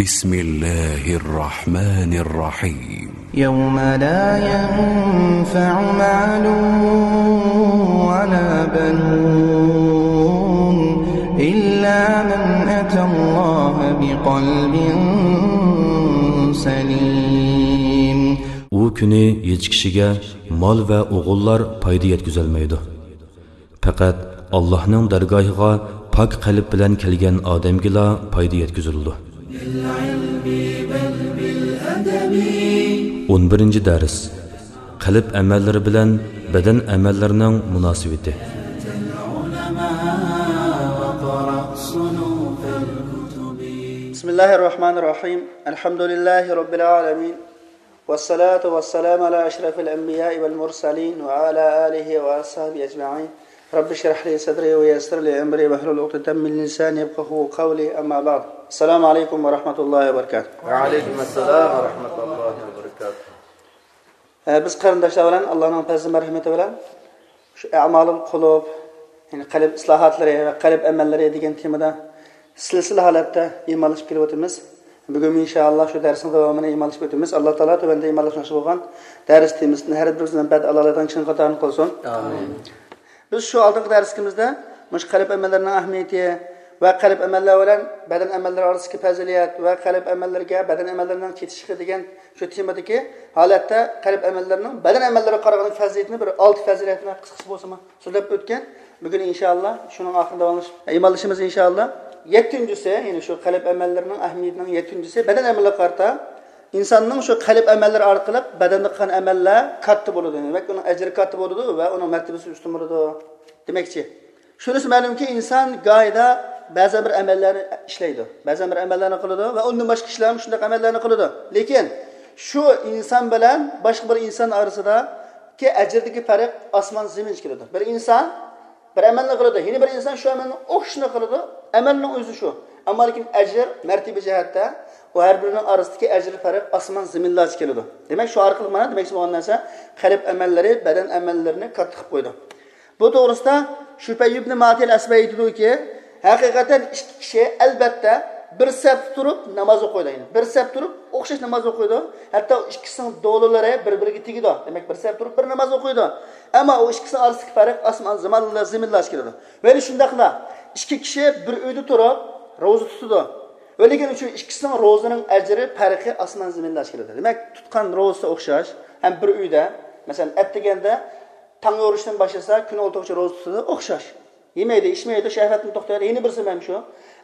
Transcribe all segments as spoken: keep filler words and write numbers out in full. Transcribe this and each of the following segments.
بسم الله الرحمن الرحيم. يوم لا ينفع مال ولا بنون إلا من أتى الله بقلب سليم. ئۇ كۈنى ھېچ كىشىگە مال ۋە ئوغۇللار پايدا يەتكۈزەلمەيدۇ. پەقەت ئاللاھنىڭ دەرگاھىغا پاك قەلب بىلەن كەلگەن ئادەمگىلا پايدا يەتكۈزۈلىدۇ. ئون بىرىنچى دەرس. قەلب ئەمەللىرى بىلەن بەدەن ئەمەللىرىنىڭ مۇناسىۋىتى. بسم الله الرحمن الرحيم. الحمد لله رب العالمين. والصلاة والسلام على أشرف الأنبياء والمرسلين وعلى آله وأصحابه أجمعين. رب اشرح لي صدري ويسر لي أمري واحلل عقدة من لساني يفقهوا قولي. أما بعد. السلام عليكم ورحمة الله وبركاته. وعليكم السلام ورحمة الله وبركاته. ئە، بىز قېرىنداشلار بىلەن ئاللانىڭ پەزلى مەرھىمىتى بىلەن شۇ ئەمالىل قۇلۇب، يەنى قەلب ئىسلاھاتلىرى ۋە قەلب ئەمەللىرى دېگەن تېمىدا سىلسىلە ھالەتتە ئىمانلىشىپ كېلىۋاتىمىز. بۈگۈن ئىنشائاللا شۇ دەرسنىڭ داۋامىنى ئىمانلىشىپ ئۆتىمىز. ئاللا تائالا تۆۋەندە ئىمانلاشماقچى بولغان دەرس تېمىسىدىن ھەر بىرىمىزنى بەد ئالالىدىغان كىشىنىڭ قاتارىدا قىلسۇن. ئامىن. بىز شۇ ئالدىنقى دەرسىمىزدە مۇشۇ قەلب ئەمەللىرىنىڭ ئەھمىيىتى ۋە قەلب ئەمەللەر بىلەن بەدەن ئەمەللىرى ئارىسىدىكى پەزىلەت ۋە قەلب ئەمەللىرىگە بەدەن ئەمەللىرىنىڭ چېتىشلىقى دېگەن شۇ تېمىدىكى ھالەتتە قەلب ئەمەللىرىنىڭ بەدەن ئەمەللىرىگە قارىغاندا پەزىلىتىنى بىر ئالتە پەزىلەتنى قىسقىچە بولسىمۇ سۆزلەپ ئۆتكەن. بۈگۈن ئىنشائاللا شۇنىڭ ئاخىرىدا داۋاملىشىپ ئىمانلىشىمىز ئىنشائاللا. يەتتىنچىسى، يەنى شۇ قەلب ئەمەللىرىنىڭ ئەھمىيىتىنىڭ يەتتىنچىسى بەدەن ئەمەللىرىگە قارىتا ئىنساننىڭ شۇ قەلب ئەمەللىرى ئارقىلىق بەدەندە قىلغان ئەمەللەر كاتتا بولىدۇ. دېمەك، ئۇنىڭ ئەجرى كاتتا بولىدۇ ۋە ئۇنىڭ مەرتىبىسى ئۈستۈن بولىدۇ. دېمەكچى، شۇنىسى مەلۇمكى، ئىنسان گاھىدا بەزەن بىر ئەمەللەرنى ئىشلەيدۇ، بەزەن بىر ئەمەللەرنى قىلىدۇ ۋە ئۇندىن باشقا كىشىلەرمۇ شۇنداق ئەمەللەرنى قىلىدۇ. لېكىن شۇ ئىنسان بىلەن باشقا بىر ئىنسان ئارىسىدىكى ئەجىردىكى پەرق ئاسمان زېمىنغىچە كېلىدۇ. بىر ئىنسان بىر ئەمەلنى قىلىدۇ، يەنە بىر ئىنسان شۇ ئەمەلنىڭ ئوخشىشىنى قىلىدۇ. ئەمەلنىڭ ئۆزى شۇ. ئەمما لېكىن ئەجىر، مەرتىبە جەھەتتە ئۇ ھەر بىرىنىڭ ئارىسىدىكى ئەجىر پەرق ئاسمان زېمىنلارچە كېلىدۇ. دېمەك، شۇ ئارقىلىق مانا دېمەكچى بولغان نەرسە، قەلب ئەمەللىرى بەدەن ئەمەللىرىنى كاتتا قىلىپ قويىدۇ. بۇ توغرىسىدا شۇپەي ئىبنى ماتىل ئەسبەي ئېيتىدۇكى، ھەقىقەتەن ئىككى كىشى ئەلبەتتە بىر سەپتە تۇرۇپ ناماز ئوقۇيدۇ. يەنى بىر سەپ تۇرۇپ ئوخشاش ناماز ئوقۇيدۇ. ھەتتا ئۇ ئىككىسىنىڭ دولىلىرى بىر-بىرىگە تېگىدۇ. دېمەك، بىر سەپ تۇرۇپ بىر ناماز ئوقۇيدۇ. ئەمما ئۇ ئىككىسىنىڭ ئارىسىدىكى پەرق ئاسمان زېمىنلا-، زېمىنلارچە كېلىدۇ. ۋە شۇنداقلا ئىككى كىشى بىر ئۆيدە تۇرۇپ روزا تۇتىدۇ. ۋە لېكىن شۇ ئىككىسىنىڭ روزىنىڭ ئەجرى پەرقى ئاسمان زېمىنلارچە كېلىدۇ. دېمەك، تۇتقان روزىسى ئوخشاش، ھەم بىر ئۆيدە، مەسىلەن، ئەتىگەندە تاڭ يورۇشتىن باشلىسا، كۈن ئولتۇرغۇچە روزا تۇتىدۇ، ئوخشاش. يېمەيدۇ، ئىچمەيدۇ، شەھۋەتتىن توختايدۇ، يەنە بىرسى مەن شۇ.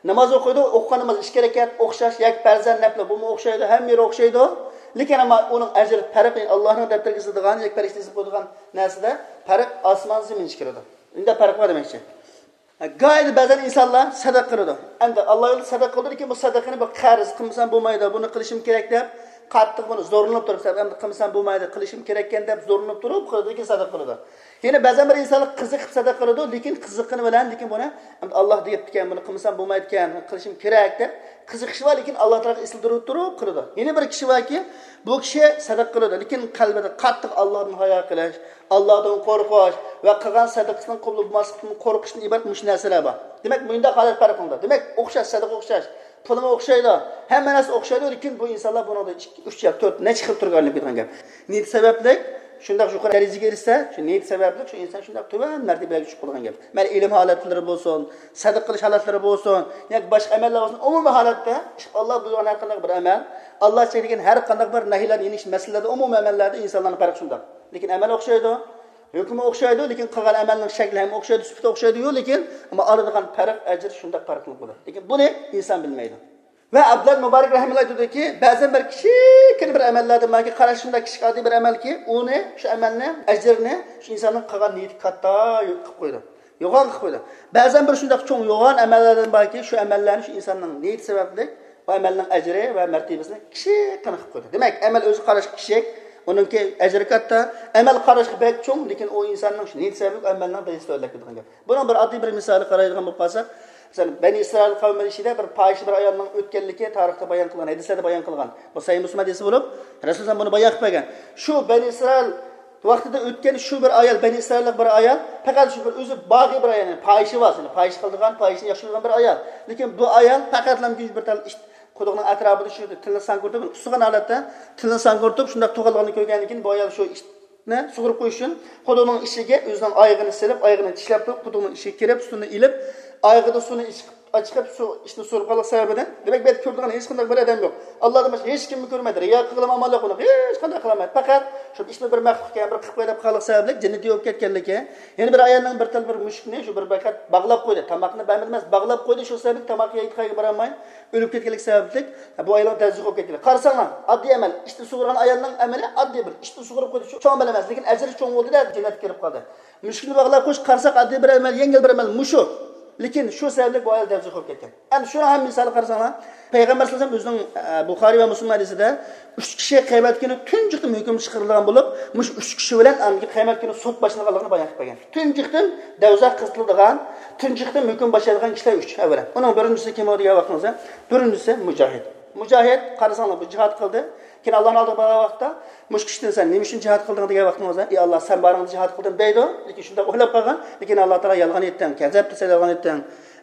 ناماز ئوقۇيدۇ، ئوقۇغان ناماز ئىككى رەكەت ئوخشاش، يەككە پەرزەن نەپلى بۇمۇ ئوخشايدۇ، ھەممە يېرى ئوخشايدۇ. لېكىن ئەمما ئۇنىڭ ئەجرى پەرقى، ئاللاھنىڭ دەپتىرىگە يېزىلىدىغان، يەككە پەرىشتە يېزىپ قويىدىغان نەرسىدە پەرق ئاسمان زېمىنچە كېلىدۇ. ئۇنداق پەرق بار دېمەكچى. گاھىدا بەزەن ئىنسانلار سەدەقە قىلىدۇ. ئەمدى ئاللا يولىدا سەدەقە قىلىدۇ، لېكىن بۇ سەدەقىنى بىر قەرز قىلمىسام بولمايدۇ، بۇنى قىلىشىم كېرەك دەپ، قاتتىق بۇنى زورلىنىپ تۇرۇپ، ئەمدى قىلمىسام بولمايدۇ، قىلىشىم كېرەككەن دەپ زورلىنىپ تۇرۇپ قىلىدۇ، لېكىن سەدەقە قىلىدۇ. يەنە بەزەن بىر ئىنسانلار قىزىقىپ سەدەقە قىلىدۇ، لېكىن قىزىققىنى بىلەن، لېكىن بۇنى ئەمدى ئاللا دەپتىكەن، بۇنى قىلمىسام بولمايدىكەن، قىلىشىم كېرەك دەپ قىزىقىشى بار، لېكىن ئاللا تائالاغا ئېسىل تۇرۇپ تۇرۇپ قىلىدۇ. يەنە بىر كىشى باركى، بۇ كىشى سەدەقە قىلىدۇ، لېكىن قەلبىدە قاتتىق ئاللادىن ھايا قىلىش، ئاللادىن قورقۇش ۋە قىلغان سەدىقىسىنىڭ قوبۇل بولماسلىقتىن قورقۇشتىن ئىبارەت مۇشۇ نەرسىلەر بار. دېمەك، مۇنداق ھالەت پەرق قىلىدۇ. دېمەك، ئوخشاش، سەدىقە ئوخشاش، پۇلىمۇ ئوخشايدۇ، ھەممە نەرسە ئوخشايدۇ، لېكىن بۇ ئىنسانلار بۇنىڭدا ئىككى، ئۈچ يا تۆت، نەچچە خىل تۈرگە ئايرىلىپ كېتىدىغان گەپ. نىيىتى سەۋەبلىك شۇنداق يۇقىرى دەرىجىگە ئېرىشسە، شۇ نىيىتى سەۋەبلىك شۇ ئىنسان شۇنداق تۆۋەن مەرتىبىلەرگە چۈشۈپ قالىدىغان گەپ. مەيلى ئىلىم ھالەتلىرى بولسۇن، سەدىقە قىلىش ھالەتلىرى بولسۇن، ياكى باشقا ئەمەللەر بولسۇن، ئومۇمىي ھالەتتە ئاللا بۇيرۇغان ھەر قانداق بىر ئەمەل، ئاللا چەكلىگەن ھەر قانداق بىر نەھيلەرنى يېنىش مەسىلىلەردە، ئومۇمىي ئەمەللەردە ئىنسانلارنىڭ پەرقى شۇنداق. لېكىن ئەمەل ئوخشايدۇ، ھۆكمى ئوخشايدۇ، لېكىن قىلغان ئەمەلنىڭ شەكلى ھەم ئوخشايدۇ، سۈپىتى ئوخشايدۇ، لېكىن ئەمما ئالىدىغان پەرق، ئەجىر شۇنداق پەرقلىق بولىدۇ. لېكىن بۇنى ئىنسان بىلمەيدۇ. ۋە ئابدۇللا مۇبارەك رەھىمەللا ئېيتىدۇكى، بەزەن بىر كىچىككىنە بىر ئەمەللەردىن باركى، قاراشىمدا كىچىك ئاددىي بىر ئەمەلكى، ئۇنى، شۇ ئەمەلنى، ئەجرىنى شۇ ئىنساننىڭ قىلغان نىيىتى كاتتا قىلىپ قويىدۇ. يوغان قىلىپ قويىدۇ. بەزەن بىر شۇنداق چوڭ يوغان ئەمەللەردىن باركى، شۇ ئەمەللەرنى شۇ ئىنساننىڭ نىيىتى سەۋەبلىك ئۇ ئەمەلنىڭ ئەجرى ۋە مەرتىۋىسىنى كىچىككىنە قىلىپ قويىدۇ. دېمەك، ئەمەل ئۆزى قاراشقا كىچىك، ئۇنىڭكى ئەجرى كاتتا، ئەمەل قاراشقا بەك چوڭ، لېكىن ئۇ ئىنساننىڭ شۇ نىيىتى سەۋەبلىك ئۇ ئەمەلنىڭ دەرىجىسى تۆۋەنلەپ كېتىدىغان گەپ. بۇنىڭ بىر ئاددىي بىر مىسالى قارايدىغان بولۇپ قالساق، مەسىلەن، بەنى ئىسرائىل قەۋمى ئىچىدە بىر پاھىشە بىر ئايالنىڭ ئۆتكەنلىكى تارىختا بايان قىلغان، ھەدىسلەردە بايان قىلغان. بۇ سەھىھ مۇسلىم ھەدىسى بولۇپ، رەسۇلۇللاھ بۇنى بايان قىلىپ بەرگەن. شۇ بەنى ئىسرائىل ۋاقتىدا ئۆتكەن شۇ بىر ئايال، بەنى ئىسرائىللىق بىر ئايال، پەقەت شۇ بىر ئۆزى باغىي بىر ئايال، يەنى پاھىشە بار، يەنى پاھىشە قىلىدىغان، پاھىشىنى ياخشى كۆرىدىغان بىر ئايال. لېكىن بۇ ئايال پەقەتلا بىر تال ئىت-، قۇدۇقنىڭ ئەتراپىدا شۇ تىلنى ساڭگۇرتۇپ، ئۇسسىغان ھالەتتە تىلنى ساڭگۇرتۇپ، شۇنداق تۇغانلىقىنى كۆرگەندىن كېيىن، بۇ ئايال شۇ ئىشنى سۇغۇرۇپ قويۇش ئۈچۈن قۇدۇقنىڭ ئىچىگە ئۆزىنىڭ ئايىغىنى سېلىپ، ئايىغىنى چىشلەپ تۇرۇپ، قۇدۇقنىڭ ئىچىگە كىرىپ، سۇنى ئېلىپ، ئايىغىدا سۇنى ئىچىپ، ئاچىقىپ، شۇ ئىشنى سوراپ قالغان سەۋەبىدىن، دېمەك، بۇ يەردە كۆرىدىغان ھېچقانداق بىر ئادەم يوق. ئاللا دېمەش، ھېچكىمنى كۆرمەيدۇ. رىيا قىلغىلى ئامال يوق ئۇنىڭ. ھېچقانداق قىلالمايدۇ. پەقەت شۇ ئىشنى بىر مەخلۇق ئىكەن، بىر قىلىپ قويلاپ خالىق سەۋەبلىك جەننىتى بولۇپ كەتكەنلىكى. يەنە بىر ئايالنىڭ بىر تال بىر مۈشۈكنى شۇ بىر پەقەت باغلاپ قويدى. تاماقنى بەرمىدى ئەمەس، باغلاپ قويدى. شۇ سەۋەبلىك تاماق يەيدىغان بارالماي ئۆلۈپ كەتكەنلىكى سەۋەبلىك بۇ ئايالنىڭ دەۋزىخى بولۇپ كەتكەن. قارىساڭلار، ئاددىي ئەمەل. ئىشتىن سۇغۇرغان ئايالنىڭ ئەمىلى ئاددىي بىر ئىشتىن سۇغۇرۇپ قويدى. شۇ چوڭ ئەمەل ئەمەس، لېكىن ئەجرى چوڭ بولدى-دە، جەننەتكە كىرىپ قالدى. مۈشۈكنى باغلاپ قويۇش، قارىساق، ئاددىي بىر ئەمەل، يەڭگىل بىر ئەمەل مۇشۇ. لېكىن شۇ سەۋەبلىك بۇ ئايال دەۋزىخى بولۇپ كەتكەن. ئەمدى شۇنىڭ ھەم مىسالى قارىساڭلار، پەيغەمبەر سەللەللاھۇ ئەلەيھى ۋەسەللەم ئۆزىنىڭ، ئە، بۇخارىي ۋە مۇسلىم ھەدىسىدە ئۈچ كىشى قىيامەت كۈنى تۇنجۇقتىن ھۆكۈم چىقىرىلغان بولۇپ، مۇشۇ ئۈچ كىشى بىلەن ئاندىن كېيىن قىيامەت كۈنى سوت باشلىنىدىغانلىقىنى بايان قىلىپ بەرگەن. تۇنجۇقتىن دوزاخ قىزىتىلىدىغان، تۇنجۇقتىن ھۆكۈم باشلايدىغان كىشىلەر ئۈچ. ئەۋۋەلەن، ئۇنىڭ بىرىنچىسى كىم دېگەن ۋاقتىڭىزدا، بىرىنچىسى مۇجاھىد. مۇجاھىد، قارىساڭلار، بۇ جىھاد قىلدى. كېيىن ئاللانىڭ ئالدىغا بارغان ۋاقىتتا، مۇشۇ كىشىدىن سەن نېمە ئۈچۈن جىھاد قىلدىڭ دېگەن ۋاقتىڭىزدا، ئى ئاللا، سەن بارىڭدا جىھاد قىلدىم دەيدۇ. لېكىن شۇنداق ئويلاپ قالغان، لېكىن ئاللا تائالا يالغان ئېيتتىڭ، كەزەپتە سەن يالغان ئېيتتىڭ.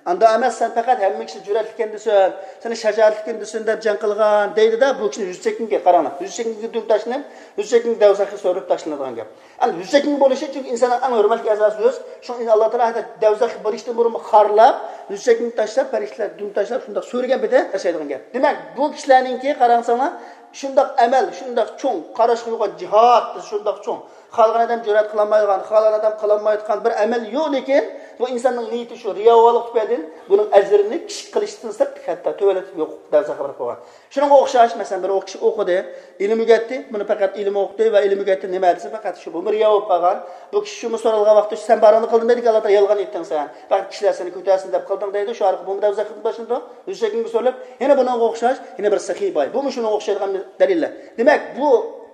ئاندا ئەمەس، سەن پەقەت ھەممە كىشى جۈرئەتلىككەن دېسۇن، سەن شاجائەتلىككەن دېسۇن دەپ جەڭ قىلغان دەيدۇ-دە، بۇ كىشىنى يۈز سەككىنگە قاراڭلار. يۈز سەككىنگە دۈم تاشلىنىپ، يۈز سەككىنگە دوزاخقا سۆرىلىپ تاشلىنىدىغان گەپ. ئەمدى يۈز سەككىن بولۇشى، چۈنكى ئىنساننىڭ ئەڭ ھۆرمەتلىك ئەزاسى يۈز. شۇڭا ئاللا تائالا ھەتتا دوزاخقا بېرىشتىن بۇرۇنمۇ خارلاپ، يۈز سەككىن تاشلاپ، پەرىشتىلەر دۈم تاشلاپ، شۇنداق سۆرىگەن پېتى ياشايدىغان گەپ. دېمەك، بۇ كىشىلەرنىڭكى قاراڭساڭلار، شۇنداق ئەمەل، شۇنداق چوڭ، قاراشقا يوغان جىھاد، شۇنداق چوڭ، خالىغان ئادەم جۈرئەت قىلالمايدىغان، خالىغان ئادەم قىلالمايدىغان بىر ئەمەل يوق، لېكىن بۇ ئىنساننىڭ نىيىتى شۇ رىياۋانلىق تۈپەيلىدىن بۇنىڭ ئەجرىنى كىچىك قىلىشتىن سىرت، ھەتتا تۆۋەنلىتىپ يوق دەرسە خەۋەر قىلغان. شۇنىڭغا ئوخشاش، مەسىلەن، بىر كىشى ئوقۇدى، ئىلىم ئۆگەتتى، بۇنى پەقەت ئىلىم ئوقۇتتى ۋە ئىلىم ئۆگەتتى نېمە دېسە، پەقەت شۇ، بۇمۇ رىيا بولۇپ قالغان. بۇ كىشى شۇمۇ سورالغان ۋاقىتتا، سەن بارىڭنى قىلدىڭ دەيدىكەن، ئاللا تائالا يالغان ئېيتتىڭ سەن. پەقەت كىشىلەر سېنى كۆتەرسۇن دەپ قىلدىڭ دەيدۇ، شۇ ئارقىلىق بۇمۇ دەۋزەخ باشلىنىدۇ. يۈز سەككىنگە سورىلىپ، يەنە بۇنىڭغا ئوخشاش، يەنە بىر سېخىي باي. بۇمۇ شۇنىڭغا ئوخشايدىغان بىر دەلىللەر. دېمەك، بۇ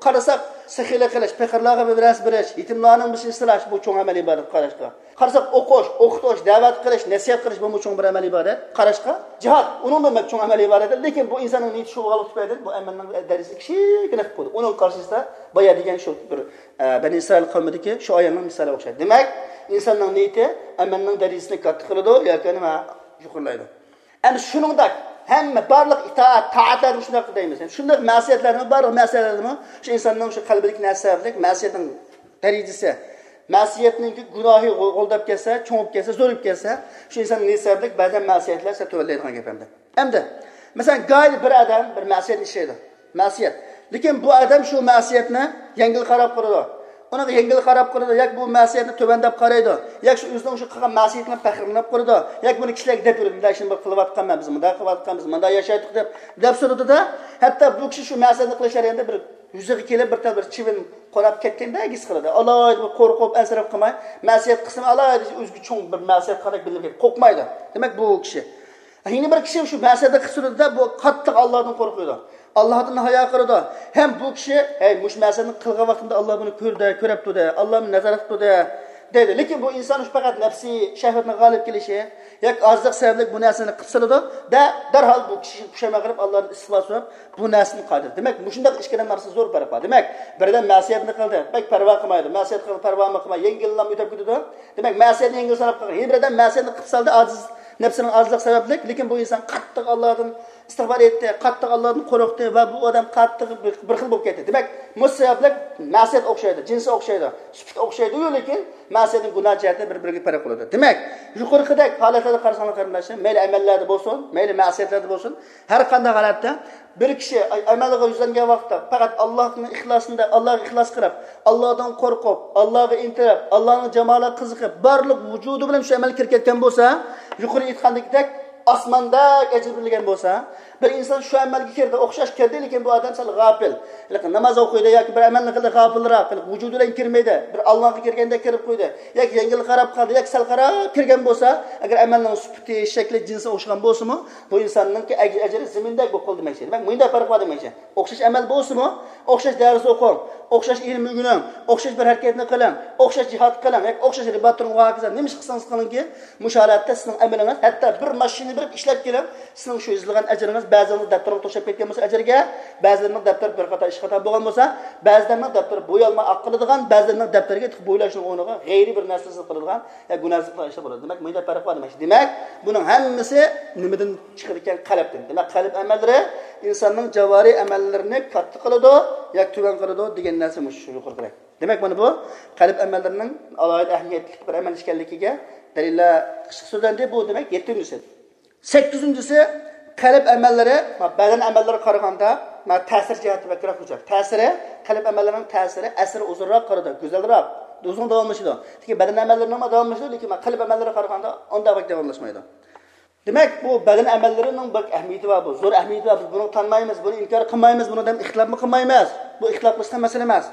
قارىساق، سېخىيلىق قىلىش، پېقىرلارغا بىر نەرسە بېرىش، يېتىملارنىڭ بېشىنى سىلاش، بۇ چوڭ ئەمەل ئىبادەت قاراشقا. قارىساق، ئوقۇش، ئوقۇتۇش، دەۋەت قىلىش، نەسىھەت قىلىش، بۇمۇ چوڭ بىر ئەمەل ئىبادەت. قاراشقا، جىھاد، ئۇنىڭمۇ بەك چوڭ ئەمەل ئىبادەت. لېكىن بۇ ئىنساننىڭ نىيىتى شۇ بولغانلىقى تۈپەيلىدىن بۇ ئەمەلنىڭ دەرىجىسى كىچىككىنە قىلىپ قويدى. ئۇنىڭ قارشىسىدا بايا دېگەن شۇ بىر، ئە، بەنى ئىسرائىل قەۋمىدىكى شۇ ئايالنىڭ مىسالىغا ئوخشايدۇ. دېمەك، ئىنساننىڭ نىيىتى ئەمەلنىڭ دەرىجىسىنى كاتتا قىلىدۇ ياكى نېمە، يۇقىرىلايدۇ. ئەمدى شۇنىڭدەك ھەممە بارلىق ئىتائەت، تائەتلەرنى شۇنداق دەيمىز. شۇنداق مەسىيەتلەرمۇ، بارلىق مەسىيەتلەرمۇ شۇ ئىنساننىڭ شۇ قەلبىدىكى نەرسە سەۋەبلىك مەسىيەتنىڭ دەرىجىسى، مەسىيەتنىڭكى گۇناھى غۇ-، غۇلداپ كەتسە، چوڭىيىپ كەتسە، زورىيىپ كەتسە، شۇ ئىنساننىڭ نىيىتى سەۋەبلىك بەزەن مەسىيەتلەر سەل تۆۋەنلەيدىغان گەپ ئەمدى. ئەمدى، مەسىلەن، گاھىدا بىر ئادەم بىر مەسىيەتنى ئىشلەيدۇ. مەسىيەت. لېكىن بۇ ئادەم شۇ مەسىيەتنى يەڭگىل قاراپ قارىدۇ. ئۇنىڭغا يەڭگىل قاراپ قارىدۇ، ياكى بۇ مەسىيەتنى تۆۋەن دەپ قارايدۇ، ياكى شۇ ئۆزىنىڭ شۇ قىلغان مەسىيىتىنى پەخىرلىنىپ قارىدۇ، ياكى بۇنى كىشىلەرگە دەپ يۈرىدۇ، مۇنداق ئىشنى بىر قىلىۋاتقان مەن، بىز مۇنداق قىلىۋاتقان، بىز مۇنداق ياشايتتۇق دەپ، دەپ سورىدىدا، ھەتتا بۇ كىشى شۇ مەسىيەتنى قىلىش جەريانىدا بىر يۈزىگە كېلىپ بىر تال بىر چىۋىن قونۇپ كەتكەندەك ھېس قىلىدۇ. ئالاھىدە بىر قورقۇپ، ئەنسىرەپ قالماي، مەسىيەت قىلسىمۇ ئالاھىدە ئۆزىگە چوڭ بىر مەسىيەت قىلغاندەك بىلىنىپ كېتىپ قورقمايدۇ. دېمەك، بۇ كىشى يەنە بىر كىشى شۇ مەسىيەتنى قىلسىدۇ-دە، بۇ قاتتىق ئاللادىن قورقىدۇ. ئاللادىن ھايا قىلىدۇ. ھەم بۇ كىشى، ھەي، مۇشۇ مەسىيەتنى قىلغان ۋاقتىمدا ئاللا بۇنى كۆردى، كۆرۈپتۇ-دە، ئاللا مېنى نازارەت قىلىدۇ-دە، دەيدۇ. لېكىن بۇ ئىنسان شۇ پەقەت نەپسىي شەھۋەتنىڭ غالىب كېلىشى ياكى ئازلىق سەۋەبلىك بۇ نەرسىنى قىلسىلىدۇ-دە، دەرھال بۇ كىشى پۇشايمان قىلىپ، ئاللادىن ئىستىغپار سوراپ، بۇ نەرسىنى قىلىدۇ. دېمەك، مۇشۇنداق ئىككىدىن ئارىسىدا زور پەرق بار. دېمەك، بىردەم مەسىيەتنى قىلدى، بەك پەرۋا قىلمايدۇ. مەسىيەت قىلدى، پەرۋامۇ قىلماي، يەڭگىللا ئۆتۈپ كېتىدۇ. دېمەك، مەسىيەتنى يەڭگىل ساناپ قالغان. يەنە بىردەم مەسىيەتنى قىلىپ سالدى، ئاجىز نەپسىنىڭ ئاجىزلىقى سەۋەبلىك. لېكىن بۇ ئىنسان قاتتىق ئاللادىن ئىستىغپار ئېيتتى، قاتتىق ئاللادىن قورقتى ۋە بۇ ئادەم قاتتىق بىر، بىر خىل بولۇپ كەتتى. دېمەك، مۇشۇ سەۋەبلىك مەسىيەت ئوخشايدۇ، جىنسى ئوخشايدۇ، سۈپىتى ئوخشايدۇ، لېكىن مەسىيەتنىڭ گۇناھ جەھەتتە بىر-بىرىگە پەرق بولىدۇ. دېمەك، يۇقىرىقىدەك ھالەتلەردە قارىساڭلار قېرىنداشلار، مەيلى ئەمەللەردە بولسۇن، مەيلى مەسىيەتلەردە بولسۇن، ھەر قانداق ھالەتتە بىر كىشى ئەمەلگە يۈزلەنگەن ۋاقىتتا پەقەت ئاللاھنىڭ ئىخلاسىندا، ئاللاھقا ئىخلاس قىلىپ، ئاللاھتىن قورقۇپ، ئاللاھقا ئىنتىلىپ، ئاللاھنىڭ جامالىغا قىزىقىپ، بارلىق ۋۇجۇدى بىلەن شۇ ئەمەلگە كىرىپ كەتكەن بولسا، يۇقىرى ئېيتقاندىكىدەك ئاسماندەك ئەجىر بېرىلگەن بولسا، بىر ئىنسان شۇ ئەمەلگە كىردى، ئوخشاش كىردى، لېكىن بۇ ئادەم سەل غاپىل. لېكىن ناماز ئوقۇيدۇ ياكى بىر ئەمەلنى قىلدى، غاپىلراق، ۋۇجۇدى بىلەن كىرمىدى، بىر ئاللاھقا كىرگەندەك كىرىپ قويدى ياكى يەڭگىل قاراپ قالدى ياكى سەل قاراپ كىرگەن بولسا، ئەگەر ئەمەلنىڭ سۈپىتى، شەكلى، جىنسى ئوخشىغان بولسىمۇ، بۇ ئىنساننىڭكى ئەج-، ئەجرى زېمىندەك بولۇپ قالدى دېمەكچى. دېمەك، مۇنداق پەرق بار دېمەكچى. ئوخشاش ئەمەل بولسىمۇ، ئوخشاش دەرس ئوقۇڭ، ئوخشاش ئىلىم ئۆگىنىڭ، ئوخشاش بىر ھەرىكەتنى قىلىڭ، ئوخشاش جىھاد قىلىڭ ياكى ئوخشاش رىبات تۇرۇڭ ۋە ھاكازا. نېمە ئىش قىلسىڭىز قىلىڭكى، مۇشۇ ھالەتتە سىزنىڭ ئەمىلىڭىز ھەتتا بىر ماشىنا بېرىپ ئىشلەپ كېلىڭ. سىزنىڭ شۇ يېزىلغان ئەجرىڭىز بەزىلەرنىڭ دەپتىرىغا توشۇپ كەتكەن بولسا ئەجىرگە، بەزىلەرنىڭ دەپتىرى بىر قاتا ئىش خاتا بولغان بولسا، بەزىلەرنىڭ دەپتىرى بويالماي ئاققىلىدىغان، بەزىلەرنىڭ دەپتىرىگە بويلاشنىڭ ئورنىغا غەيرىي بىر نەرسە سىزىپ قىلىدىغان، يا گۇناھسىز قىلغان ئىشلار بولىدۇ. دېمەك، مۇنداق پەرق بار دېمەكچى. دېمەك، بۇنىڭ ھەممىسى نېمىدىن چىقىدىكەن؟ قەلبتىن. دېمەك، قەلب ئەمەللىرى ئىنساننىڭ جاۋارى ئەمەللىرىنى كاتتا قىلىدۇ ياكى تۆۋەن قىلىدۇ دېگەن نەرسە مۇشۇ يۇقىرىقىدەك. دېمەك، مانا بۇ قەلب ئەمەللىرىنىڭ ئالاھىدە ئەھمىيەتلىك بىر ئەمەل ئىكەنلىكىگە دەلىللەر قىسقا سۆزلەندى. بۇ، دېمەك، يەتتىنچىسى. سەككىزىنچىسى، قەلب ئەمەللىرى، ما، بەدەن ئەمەللىرىگە قارىغاندا، ما، تەسىر جەھەتتە بەكرەك گۈزەل. تەسىرى، قەلب ئەمەللىرىنىڭ تەسىرى، ئەسىرى ئۇزۇنراق قالىدۇ، گۈزەلرەك، ئۇزۇن داۋاملىشىدۇ. لېكىن بەدەن ئەمەللىرىنىڭمۇ داۋاملىشىدۇ، لېكىن، ما، قەلب ئەمەللىرىگە قارىغاندا ئۇنداق بەك داۋاملاشمايدۇ. دېمەك، بۇ بەدەن ئەمەللىرىنىڭ بەك ئەھمىيىتى بار، بۇ زور ئەھمىيىتى بار. بىز بۇنى تانمايمىز، بۇنى ئىنكار قىلمايمىز، بۇنى دەم ئىختىلاپمۇ قىلمايمىز. بۇ ئىختىلاپ قىلىشقان مەسىلە ئەمەس.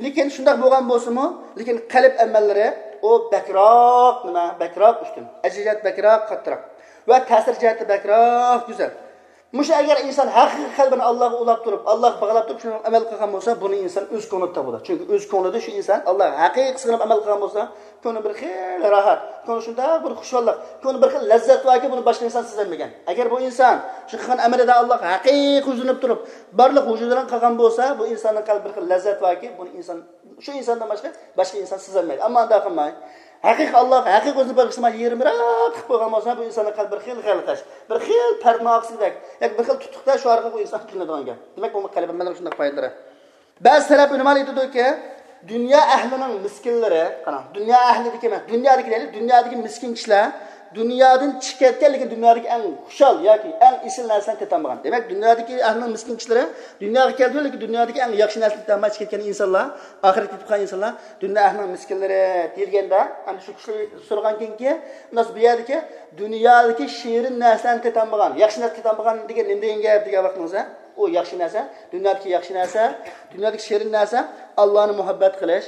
لېكىن شۇنداق بولغان بولسىمۇ، لېكىن قەلب ئەمەللىرى ئۇ بەكرەك نېمە؟ بەكرەك ئۈستۈن. ئەجىزىيەت بەكرەك قاتتىراق. ۋە تەسىر جەھەتتە بەكرەك گۈزەل. مۇشۇ ئەگەر ئىنسان ھەقىقىي قەلبىنى ئاللاغا ئۇلاپ تۇرۇپ، ئاللاغا باغلاپ تۇرۇپ، شۇنى ئەمەل قىلغان بولسا، بۇنى ئىنسان ئۆز كۆڭلىدە تاپىدۇ. چۈنكى ئۆز كۆڭلىدە شۇ ئىنسان ئاللاغا ھەقىقىي سىغىنىپ ئەمەل قىلغان بولسا، كۆڭلى بىر خىل راھەت، كۆڭلى شۇنداق بىر خۇشاللىق، كۆڭلى بىر خىل لەززەت باركى، بۇنى باشقا ئىنسان سېزەلمىگەن. ئەگەر بۇ ئىنسان شۇ قىلغان ئەمىلىدە ئاللاغا ھەقىقىي يۈزلىنىپ تۇرۇپ، بارلىق ۋۇجۇدى بىلەن قىلغان بولسا، بۇ ئىنساننىڭ قەلبىدە بىر خىل لەززەت باركى، بۇنى ئىنسان، شۇ ئىنساندىن باشقا، باشقا ئىنسان سېزەلمەيدۇ. ئەمما ئۇنداق قىلماي، ھەقىقىي ئاللاغا ھەقىقىي ئۆزىنى بېغىشلىماي، يېرىم راھەت قىلىپ قويغان بولسا، بۇ ئىنساننىڭ قەلبىدە بىر خىل غەلىتەش، بىر خىل پەردىنىڭ ئارقىسىدەك، ياكى بىر خىل تۇتۇقتا شۇ ئارقىلىق بۇ ئىنسان كۆرۈنىدىغان گەپ. دېمەك، بۇ قەلب ئەمەلنىڭ شۇنداق پايدىلىرى. بەزى سەلەپ ئۆلىمالار ئېيتىدۇكى، دۇنيا ئەھلىنىڭ مىسكىنلىرى، قاراڭ، دۇنيا ئەھلىدىكى ئەمەس، دۇنيادىكى دەيلى، دۇنيادىكى مىسكىن كىشىلەر دۇنيادىن چىقىپ كەتكەن، لېكىن دۇنيادىكى ئەڭ خۇشال ياكى ئەڭ ئېسىل نەرسىلەرنى تېتەلمىگەن. دېمەك، دۇنيادىكى ئەھلىنىڭ مىسكىن كىشىلىرى دۇنياغا كەلدى، لېكىن دۇنيادىكى ئەڭ ياخشى نەرسىنى تېتەلمەي چىقىپ كەتكەن ئىنسانلار، ئاخىرەتكە كېتىپ قالغان ئىنسانلار دۇنيا ئەھلىنىڭ مىسكىنلىرى دېيىلگەندە، ئەمدى شۇ كىشىلەر سورىغانكىنكى، بۇ يەردىكى دۇنيادىكى شېرىن نەرسىلەرنى تېتەلمىگەن، ياخشى نەرسە تېتەلمىگەن دېگەن نېمە دېگەن گەپ دېگەن ۋاقتىڭىزدا، ئۇ ياخشى نەرسە، دۇنيادىكى ياخشى نەرسە، دۇنيادىكى شېرىن نەرسە، ئاللانى مۇھەببەت قىلىش،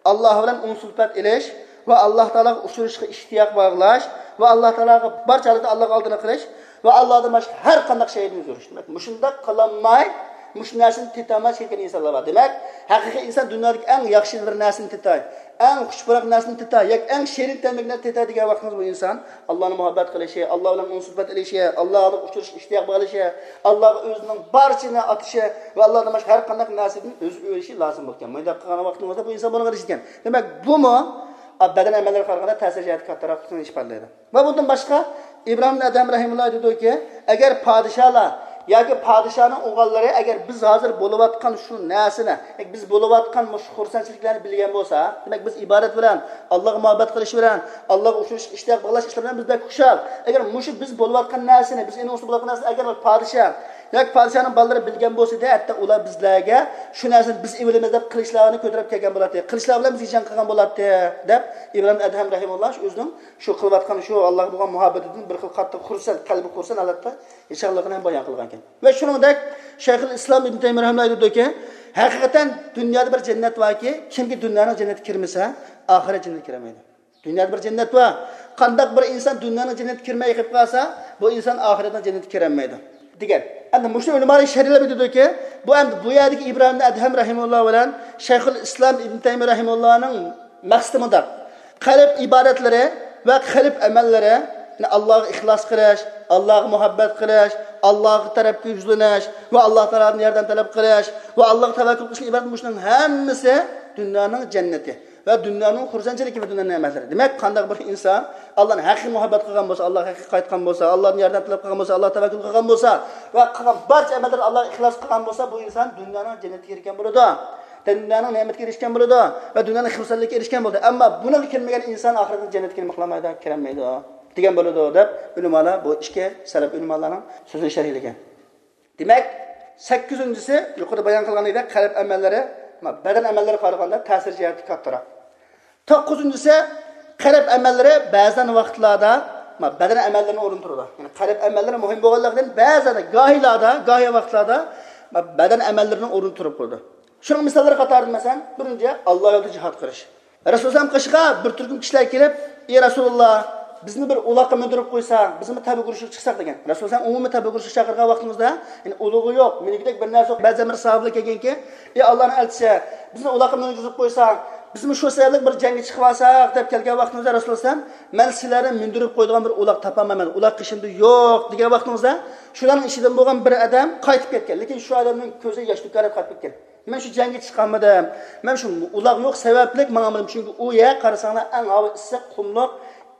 ئاللا بىلەن ئۇنسۇلپەت ئېلىش ۋە ئاللا تائالاغا ئۇچرىشىشقا ئىشتىياق باغلاش ۋە ئاللا تائالاغا بارچە ھالەتتە ئاللاغا ئالدىنى قىلىش ۋە ئاللادىن باشقا ھەر قانداق شەيدىن يۈز ئۆرۈش. دېمەك، مۇشۇنداق قىلالماي، مۇشۇ نەرسىنى تېتەلمەي چىقىپ كەتكەن ئىنسانلار بار. دېمەك، ھەقىقىي ئىنسان دۇنيادىكى ئەڭ ياخشى بىر نەرسىنى تېتەي، ئەڭ خۇش پۇراق نەرسىنى تېتەي ياكى ئەڭ شېرىن تەملىك نەرسىنى تېتەي دېگەن ۋاقتىڭىز بۇ ئىنسان ئاللانى مۇھەببەت قىلىشى، ئاللا بىلەن ئۇنسۇلپەت ئېلىشى، ئاللاغا ئۇچرىشىشقا ئىشتىياق باغلىشى، ئاللاغا ئۆزىنىڭ بارچىسىنى ئاتىشى ۋە ئاللادىن باشقا ھەر قانداق نەرسىدىن ئۆزى ئۆرۈشى لازىم بولىدىكەن. مۇنداق قىلغان ۋاقتىڭىزدا بۇ ئىنسان بۇنىڭغا ئېرىشىدىكەن. دېمەك، بۇمۇ بەدەن ئەمەللىرىگە قارىغاندا تەسىر جەھەتتە كاتتىراقلىقىنى ئىپادىلەيدۇ. ۋە بۇندىن باشقا، ئىبراھىم ئەدھەم رەھىمۇللا دېدىكى، ئەگەر پادىشاھلار ياكى پادىشاھنىڭ ئوغۇللىرى، ئەگەر بىز ھازىر بولۇۋاتقان شۇ نەرسىنى، بىز بولۇۋاتقان مۇشۇ خۇرسەنچىلىكلەرنى بىلگەن بولسا، دېمەك، بىز ئىبادەت بىلەن، ئاللاغا مۇھەببەت قىلىش بىلەن، ئاللاغا ئوخشاش ئىشتىياق باغلاش ئىشلار بىلەن بىز بەك خۇشال. ئەگەر مۇشۇ بىز بولۇۋاتقان نەرسىنى، بىز ئېنىڭ ئۈستىدە بولۇۋاتقان نەرسىنى ئەگەر بىر پادىشاھ ياكى پادىشاھنىڭ بالىلىرى بىلگەن بولسا ئىدى، ھەتتا ئۇلار بىزلەرگە شۇ نەرسىنى بىز ئېلىۋالىمىز دەپ قىلىچلارنى كۆتۈرۈپ كەلگەن بولاتتى. قىلىچلار بىلەن بىزگە جەڭ قىلغان بولاتتى، دەپ ئىبراھىم ئەدھەم رەھىمۇللا شۇ ئۆزىنىڭ شۇ قىلىۋاتقان شۇ ئاللاغا بولغان مۇھەببىتىدىن بىر خىل قاتتىق خۇرسەن، قەلبى خۇرسەن ھالەتتە ياشىغانلىقىنى ھەم بايان قىلغان ئىكەن. ۋە شۇنىڭدەك شەيخۇل ئىسلام ئىبن تەيمىيە رەھىمۇللا ئېيتىدۇكى، ھەقىقەتەن دۇنيادا بىر جەننەت باركى، كىمكى دۇنيانىڭ جەننىتىگە كىرمىسە، ئاخىرەت جەننەتكە كىرەلمەيدۇ. دۇنيادا بىر جەننەت بار. قانداق بىر ئىنسان دۇنيانىڭ جەننىتىگە كىرمەي قېلىپ قالسا، بۇ ئىنسان ئاخىرەتنىڭ جەننىتىگە كىرەلمەيدۇ، دېگەن. ئەمدى مۇشۇ ئۆلىمالار شەرھلەپ ئېيتىدۇكى، بۇ ئەمدى بۇ يەردىكى ئىبراھىم ئەدھەم رەھىمۇللا بىلەن شەيخۇل ئىسلام ئىبن تەيمىيە رەھىمۇللانىڭ مەقسىتى مۇنداق. قەلب ئىبادەتلىرى ۋە قەلب ئەمەللىرى، يەنى ئاللاغا ئىخلاس قىلىش، ئاللاغا مۇھەببەت قىلىش، ئاللاغا تەرەپكە يۈزلىنىش ۋە ئاللا تائالادىن ياردەم تەلەپ قىلىش ۋە ئاللاغا تەۋەككۈل قىلىشتىن ئىبارەت. مۇشۇنىڭ ھەممىسى دۇنيانىڭ جەننەتى ۋە دۇنيانىڭ خۇرسەنچىلىكى ۋە دۇنيانىڭ نېمەتلىرى. دېمەك، قانداق بىر ئىنسان ئاللانى ھەقىقىي مۇھەببەت قىلغان بولسا، ئاللاغا ھەقىقىي قايتقان بولسا، ئاللادىن ياردەم تەلەپ قىلغان بولسا، ئاللاغا تەۋەككۈل قىلغان بولسا ۋە قىلغان بارچە ئەمەللىرىنى ئاللاغا ئىخلاس قىلغان بولسا، بۇ ئىنسان دۇنيانىڭ جەننىتىگە ئېرىشكەن بولىدۇ. دۇنيانىڭ نېمىتىگە ئېرىشكەن بولىدۇ ۋە دۇنيانىڭ خۇرسەنلىكىگە ئېرىشكەن بولىدۇ. ئەمما بۇنىڭغا كىرمىگەن ئىنسان ئاخىرەتنىڭ جەننىتىگە نېمە قىلالمايدۇ؟ كىرەلمەيدۇ، دېگەن بولىدۇ، دەپ ئۆلىمالار بۇ ئىككى سەلەپ ئۆلىمالارنىڭ سۆزىنى شەرھلىگەن. دېمەك، سەككىزىنچىسى، يۇقىرىدا بايان قىلغىنىدەك، قەلب ئەمەللىرى بەدەن ئەمەللىرىگە قارىغاندا تەسىر جەھەتتە كاتتىراق. توققۇزىنچىسى، قەلب ئەمەللىرى بەزەن ۋاقىتلاردا بەدەن ئەمەللىرىنىڭ ئورنىنى تۇتىدۇ. يەنى قەلب ئەمەللىرى مۇھىم بولغانلىقتىن، بەزەن گاھىلاردا، گاھى ۋاقىتلاردا بەدەن ئەمەللىرىنىڭ ئورنىنى تۇتۇپ قالىدۇ. شۇنىڭ مىساللىرى قاتارىدا، مەسىلەن، بىرىنچى، ئاللا يولىدا جىھاد قىلىش. رەسۇل سەللەم قېشىغا بىر تۈركۈم كىشىلەر كېلىپ، ئى رەسۇلاللا، بىزنى بىر ئۇلاققا مىندۈرۈپ قويساڭ، بىزمۇ تەبە ئۇرۇشقا چىقساق، دېگەن. رەسۇل سەللەم ئومۇمىي تەبە ئۇرۇشقا چاقىرغان ۋاقتىمىزدا، يەنى ئۇلۇغى يوق، مۈلكىدەك بىر نەرسە يوق. بەزى بىر ساھابىلەر كەلگەنكى، ئى ئاللانىڭ ئەلچىسى، بىزنى ئۇلاققا مىنگۈزۈپ قويساڭ، بىزمۇ شۇ سەۋەبلىك بىر جەڭگە چىقىۋالساق دەپ كەلگەن ۋاقتىمىزدا رەسۇلۇللا ئەلەيھىسسالام، مەن سىلەرنى مىندۈرۈپ قويىدىغان بىر ئۇلاغ تاپالمايمەن، ئۇلاغ قېشىمدا يوق دېگەن ۋاقتىمىزدا، شۇلارنىڭ ئىچىدىن بولغان بىر ئادەم قايتىپ كەتكەن. لېكىن شۇ ئادەمنىڭ كۆزى ياش تۆكۈپ قايتىپ كەتكەن. مەن شۇ جەڭگە چىقالمىدىم، مەن شۇ ئۇلاغ يوق سەۋەبلىك ماڭالمىدىم، چۈنكى ئۇ يەر قارىساڭلار ئەڭ ھاۋا ئىسسىق، قۇملۇق،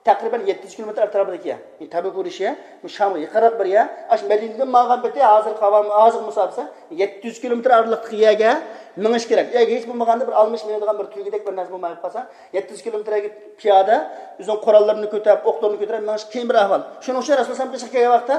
تەقرىبەن يەتتە يۈز كىلومېتىر ئەتراپىدىكى يەر. يەنى تەبۇك ئۇرۇشى، بۇ شامغا يېقىنراق بىر يەر. ئاشۇ مەدىنىدىن ماڭغان پېتى ھازىرقى ھاۋا، ھازىرقى مۇساپىسى يەتتە يۈز كىلومېتىر ئارىلىقتىكى يەرگە مېڭىش كېرەك. ياكى ھېچ بولمىغاندا بىر ئالمىش مىنىدىغان بىر تۈگىدەك بىر نەرسە بولماي قالسا، يەتتە يۈز كىلومېتىر يەرگە پىيادە، ئۆزىنىڭ قوراللىرىنى كۆتۈرۈپ، ئوقلىرىنى كۆتۈرۈپ مېڭىش قىيىن بىر ئەھۋال. شۇنىڭ ئۈچۈن رەسۇلۇللا ئەلەيھىسسالام قېشىغا كەلگەن ۋاقىتتا،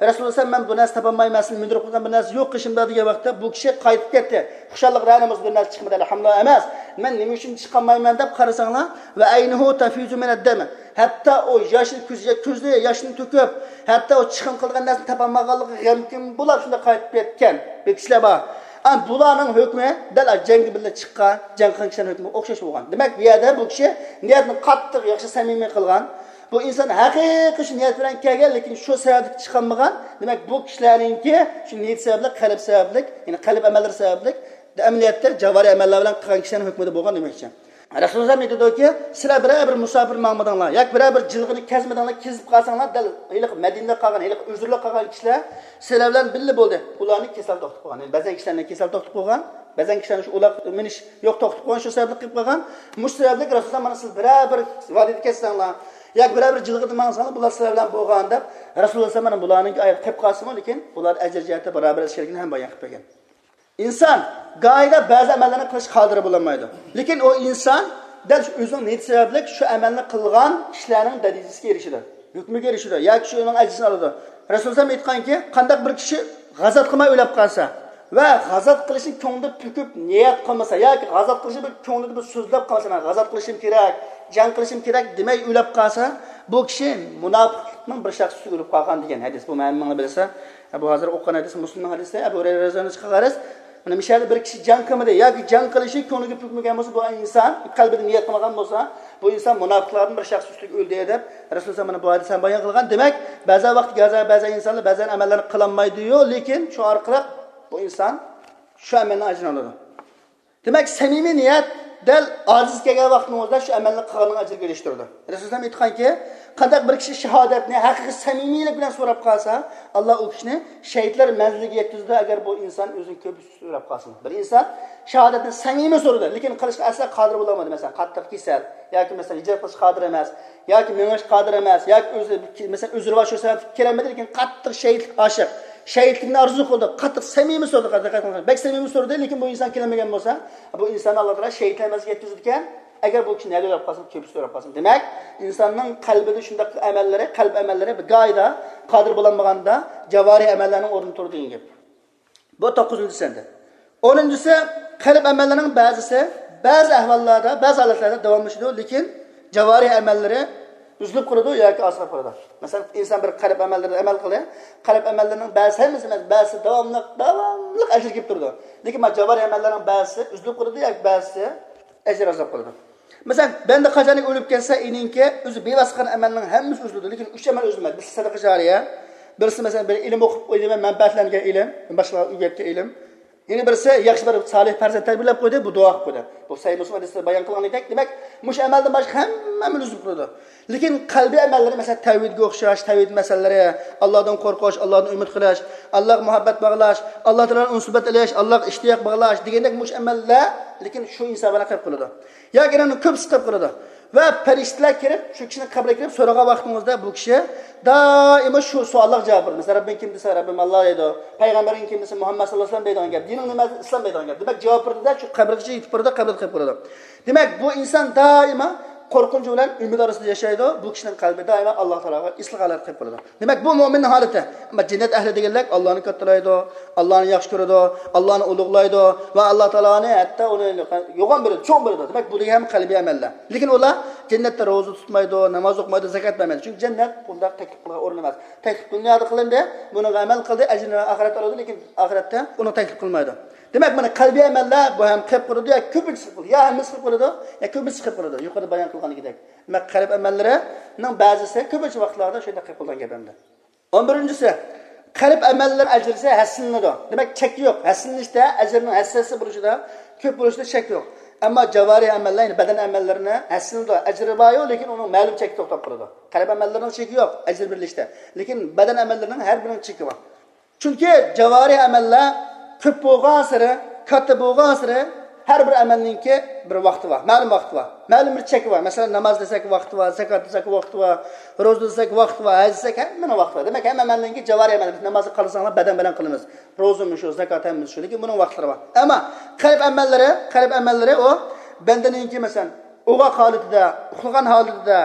رەسۇلۇللا ئەلەيھىسسالام، مەن بۇ نەرسە تاپالمايمەن، سىلەرنى مىندۈرۈپ قويىدىغان بىر نەرسە يوق قېشىمدا دېگەن ۋاقىتتا، بۇ كىشى قايتىپ كەتتى. خۇشاللىقتىن بىر نەرسە چىقمىدى، ئەلھەمدۇلىللا ئەمەس. مەن نېمە ئۈچۈن چىقالمايمەن دەپ قارىساڭلار، ۋە ئەينۇھۇ تەفىزۇ مىنەد دەم. ھەتتا ئۇ ياشنى كۆزى، كۆزى ياشنى تۆكۈپ، ھەتتا ئۇ چىقىم قىلىدىغان نەرسىنى تاپالمىغانلىقىغا غەمكىن بولاپ شۇنداق قايتىپ كەتكەن بىر كىشىلەر بار. ئەمما بۇلارنىڭ ھۆكمى دەل جەڭگە بىللە چىققان، جەڭ قىلغان كىشىلەرنىڭ ھۆكمىگە ئوخشاش بولغان. دېمەك، بۇ يەردە بۇ كىشى نىيەتنى قاتتىق ياخشى سەمىمىي قىلغان. بۇ ئىنسان ھەقىقىي شۇ نىيەت بىلەن كەلگەن، لېكىن شۇ سەۋەبلىك چىقالمىغان. دېمەك، بۇ كىشىلەرنىڭكى شۇ نىيەت سەۋەبلىك، قەلب سەۋەبلىك، يەنى قەلب ئەمەللىرى سەۋەبلىك، ئەمەلىيەتتە جاۋارىھ ئەمەللەر بىلەن قىلغان كىشىلەرنىڭ ھۆكمىدە بولغان دېمەكچى. رەسۇلۇللا ئېيتىدۇكى، سىلەر بىرەر بىر مۇساپىر ماڭمىدىڭلار ياكى بىرەر بىر جىلغىنى كەزمىدىڭلار، كېزىپ قالساڭلار، دەل ھېلىقى مەدىنىدە قالغان، ھېلىقى ئۆزرىلىك قالغان كىشىلەر سىلەر بىلەن بىللە بولدى. ئۇلارنى كېسەل توختىتىپ قويغان. يەنى بەزەن كىشىلەرنى كېسەل توختىتىپ قويغان، بەزەن كىشىلەرنى شۇ ئۇلاغ مىنىش يوق توختىتىپ قويغان، شۇ سەۋەبلىك قىلىپ قويغان. مۇشۇ سەۋەبلىك رەسۇلۇللا مانا سىز بىرەر بىر ۋادىدە كەتسەڭلار ياكى بىرەر بىر جىلغىدا ماڭساڭلار، بۇلار سىلەر بىلەن بولغان دەپ رەسۇلۇللا مانا بۇلارنىڭكى ئايرىپ قېلىپ قالسىمۇ، لېكىن بۇلار ئەجىر جەھەتتە باراۋەر ئىكەنلىكىنى ھەم بايان قىلىپ بەرگەن. ئىنسان گاھىدا بەزى ئەمەللەرنى قىلىشقا قادىر بولالمايدۇ. لېكىن ئۇ ئىنسان دەل شۇ ئۆزىنىڭ نىيىتى سەۋەبلىك شۇ ئەمەلنى قىلغان كىشىلەرنىڭ دەرىجىسىگە ئېرىشىدۇ، ھۆكمىگە ئېرىشىدۇ ياكى شۇنىڭ ئەجرىنى ئالىدۇ. رەسۇلۇللا ئېيتقانكى، قانداق بىر كىشى غازات قىلماي ئۆلۈپ قالسا ۋە غازات قىلىشنى كۆڭلىدە پۈكۈپ نىيەت قىلمىسا ياكى غازات قىلىشنى بىر كۆڭلىدە بىر سۆزلەپ قالسا، مەن غازات قىلىشىم كېرەك، جەڭ قىلىشىم كېرەك دېمەي ئۆلۈپ قالسا، بۇ كىشى مۇناپىقلىقنىڭ بىر شاخسىسى ئۆلۈپ قالغان دېگەن ھەدىس. بۇ ھەممىڭلار بىلىسە. بۇ ھازىر ئوقۇغان ھەدىس مۇسلىمنىڭ ھەدىسى، ئەبۇ ھۇرەيرە رەزىياللاھۇ ئەنھۇ خەۋەر. مانا مۇشۇ يەردە بىر كىشى جەڭ قىلمىدى ياكى جەڭ قىلىشى كۆڭلىگە پۈكمىگەن بولسا، بۇ ئىنسان قەلبىدە نىيەت قىلمىغان بولسا، بۇ ئىنسان مۇناپىقلاردىن بىر شەخس ئۈستىگە ئۆلدى دەپ رەسۇلۇللا مانا بۇ ھەدىس ھەم بايان قىلغان. دېمەك، بەزى ۋاقىت، بەزى، بەزى ئىنسانلار بەزى ئەمەللەرنى قىلالمايدۇ-يۇ، لېكىن شۇ ئارقىلىق بۇ ئىنسان شۇ ئەمەلنىڭ ئەجرىنى ئالىدۇ. دېمەك، سەمىمىي نىيەت دەل ئاجىز كەلگەن ۋاقتىڭىزدا شۇ ئەمەلنى قىلغاننىڭ ئەجرىگە ئېرىشتۈرىدۇ. رەسۇلۇللا ئېيتقانكى، قانداق بىر كىشى شاھادەتنى ھەقىقىي سەمىمىيلىك بىلەن سوراپ قالسا، ئاللا ئۇ كىشىنى شەھىتلەر مەنزىلىگە يەتكۈزىدۇ، ئەگەر بۇ ئىنسان ئۆزىنى كۆپ سۆرەپ قالسا. بىر ئىنسان شاھادەتنى سەمىمىي سورىدى، لېكىن قىلىشقا ئەسلا قادىر بولالمىدى. مەسىلەن، قاتتىق كېسەل ياكى مەسىلەن، ھىجرەت قىلىشقا قادىر ئەمەس ياكى مېڭىشقا قادىر ئەمەس ياكى ئۆزى، مەسىلەن، ئۆزرى بار، شۇ سەۋەبلىك كېلەلمىدى، لېكىن قاتتىق شەھىتلىككە ئاشىق، شەھىتلىكنى ئارزۇ قىلدى، قاتتىق سەمىمىي سورىدى، دىققەت قىلىڭ، بەك سەمىمىي سورىدى، لېكىن بۇ ئىنسان كېلەلمىگەن بولسا، بۇ ئىنساننى ئاللا تائالا شەھىتلەر مەنزىلىگە يەتكۈزىدىكەن. ئەگەر بۇ كىشى نەدە ئۆلۈپ قالسا، كۆپىسى ئۆلۈپ قالسا. دېمەك، ئىنساننىڭ قەلبىدە شۇنداق ئەمەللىرى، قەلب ئەمەللىرى بىر گاھىدا قادىر بولالمىغاندا، جاۋارىھ ئەمەللەرنىڭ ئورنىدا تۇرىدۇ دېگەن گەپ. بۇ توققۇزىنچىسى ئەمدى. ئونىنچىسى، قەلب ئەمەللىرىنىڭ بەزىسى بەزى ئەھۋاللاردا، بەزى ھالەتلەردە داۋاملىشىدۇ، لېكىن جاۋارىھ ئەمەللىرى ئۈزۈلۈپ قالىدۇ ياكى ئاز قېلىپ قالىدۇ. مەسىلەن، ئىنسان بىر قەلب ئەمەللىرىدە ئەمەل قىلدى، قەلب ئەمەللىرىنىڭ بەزىسى، ھەممىسى ئەمەس، بەزىسى داۋاملىق، داۋاملىق ئەجىر كېلىپ تۇرىدۇ. لېكىن مانا جاۋارىھ ئەمەللەرنىڭ بەزىسى ئۈزۈلۈپ قالىدۇ ياكى بەزىسى ئەجىر ئازاب قىلىدۇ. مەسىلەن، بەندە قاچانكى ئۆلۈپ كەتسە، ئېنىڭكى ئۆزى بىۋاسىتە قىلغان ئەمەلنىڭ ھەممىسى ئۈزۈلىدۇ، لېكىن ئۈچ ئەمەل ئۈزۈلمەيدۇ. بىرسى سەدىقە جارىيە، بىرسى، مەسىلەن، بىر ئىلىم ئوقۇپ ئۆزىگە مەنپەئەتلەنگەن ئىلىم، باشقىلارغا ئۆگەتكەن ئىلىم. يەنە بىرسى ياخشى بىر سالىھ پەرزەنت تەربىيەلەپ قويدى، بۇ دۇئا قىلىپ قويدى. بۇ سەھىھ مۇسلىم ھەدىسىدە بايان قىلغىنىدەك، دېمەك، مۇشۇ ئەمەلدىن باشقا ھەممە ئەمەل ئۈزۈلۈپ قالىدۇ. لېكىن قەلبىي ئەمەللىرى، مەسىلەن، تەۋھىدكە ئوخشاش، تەۋھىد مەسىلىلىرى، ئاللادىن قورقۇش، ئاللادىن ئۈمىد قىلىش، ئاللاغا مۇھەببەت باغلاش، ئاللا تائالانى ئۇنسۇبەت ئېلىش، ئاللاغا ئىشتىياق باغلاش دېگەندەك مۇشۇ ئەمەللەر، لېكىن شۇ ئىنسان بىلەن قېلىپ قالىدۇ. ياكى ئۇنىڭ كۆپىسى قىلىپ قالىدۇ. ۋە پەرىشتىلەر كىرىپ، شۇ كىشىنىڭ قەبرىگە كىرىپ سورىغان ۋاقتىڭىزدا بۇ كىشى دائىما شۇ سوئاللارغا جاۋاب بېرىدۇ. مەسىلەن، رەببىڭ كىم دېسە، رەببىم ئاللا دەيدۇ. پەيغەمبىرىڭ كىم دېسە، مۇھەممەد ساللاللاھۇ ئەلەيھى ۋەسەللەم دەيدىغان گەپ. دىنىڭ نېمە؟ ئىسلام دەيدىغان گەپ. دېمەك، جاۋاب بېرىدۇ-دە، شۇ قەبرىگىچە يېتىپ بارىدۇ، قەبرىدە قېلىپ قالىدۇ. دېمەك، بۇ ئىنسان دائىما قورقۇنچ بىلەن ئۈمىد ئارىسىدا ياشايدۇ. بۇ كىشىنىڭ قەلبى دائىما ئاللا تائالاغا ئېسىل ھالەتتە قېلىپ قالىدۇ. دېمەك، بۇ مۆمىننىڭ ھالىتى. ئەمما جەننەت ئەھلى دېگەنلەر ئاللانى كاتتىلايدۇ، ئاللانى ياخشى كۆرىدۇ، ئاللانى ئۇلۇغلايدۇ ۋە ئاللا تائالانى ھەتتا ئۇنى يوغان بىلىدۇ، چوڭ بىلىدۇ. دېمەك، بۇ دېگەن ھەم قەلبىي ئەمەللەر. لېكىن ئۇلار جەننەتتە روزا تۇتمايدۇ، ناماز ئوقۇمايدۇ، زاكات بەرمەيدۇ. چۈنكى جەننەت بۇنداق تەكلىپ قىلغان ئورۇن ئەمەس. تەكلىپ دۇنيادا قىلىندى، بۇنىڭغا ئەمەل قىلدى، ئەجرىنى ئاخىرەتتە ئالىدۇ، لېكىن ئاخىرەتتە ئۇنى تەكلىپ قىلمايدۇ. دېمەك، مانا قەلبىي ئەمەللەر بۇ ھەم قېلىپ قالىدۇ، يا كۆپىنچىسى قىلىدۇ، يا ھەممىسى قىلىپ قالىدۇ، يا كۆپىنچىسى قىلىپ قالىدۇ. يۇقىرىدا بايان قىلغىنىدەك. دېمەك، قەلب ئەمەللىرىنىڭ بەزىسى كۆپىنچە ۋاقىتلاردا شۇنداق قېلىپ قالىدىغان گەپ ئەمدى. ئون بىرىنچىسى، قەلب ئەمەللىرى ئەجرىسى ھەسسىلىنىدۇ. دېمەك، چەك يوق. ھەسسىلىنىشتە ئەجرىنىڭ ھەسسىلىسى بولۇشىدا، كۆپ بولۇشىدا شەك يوق. ئەمما جاۋارىھ ئەمەللەر، يەنى بەدەن ئەمەللىرىنى ھەسسىلىنىدۇ، ئەجرى بار-يۇ، لېكىن ئۇنىڭ مەلۇم چەككە توختاپ قالىدۇ. قەلب ئەمەللىرىنىڭ چېكى يوق، ئەجىر بېرىلىشتە. لېكىن بەدەن ئەمەللىرىنىڭ ھەر بىرىنىڭ چېكى بار. چۈنكى جاۋارىھ ئەمەللەر كۆپ بولغانسېرى، كاتتا بولغانسېرى، ھەر بىر ئەمەلنىڭكى بىر ۋاقتى بار، مەلۇم ۋاقتى بار، مەلۇم بىر چېكى بار. مەسىلەن، ناماز دېسەك ۋاقتى بار، زاكات دېسەك ۋاقتى بار، روزا دېسەك ۋاقتى بار، ھەج دېسەك ھەممىنىڭ ۋاقتى بار. دېمەك، ھەممە ئەمەلنىڭكى جاۋارىھ ئەمەل، بىز نامازنى قىلساڭلار بەدەن بىلەن قىلىمىز، روزىمۇ شۇ، زاكات ھەممىسى شۇ، لېكىن بۇنىڭ ۋاقىتلىرى بار. ئەمما قەلب ئەمەللىرى، قەلب ئەمەللىرى ئۇ بەندىنىڭكى، مەسىلەن، ئوغاق ھالىتىدە، ئۇخلىغان ھالىتىدە،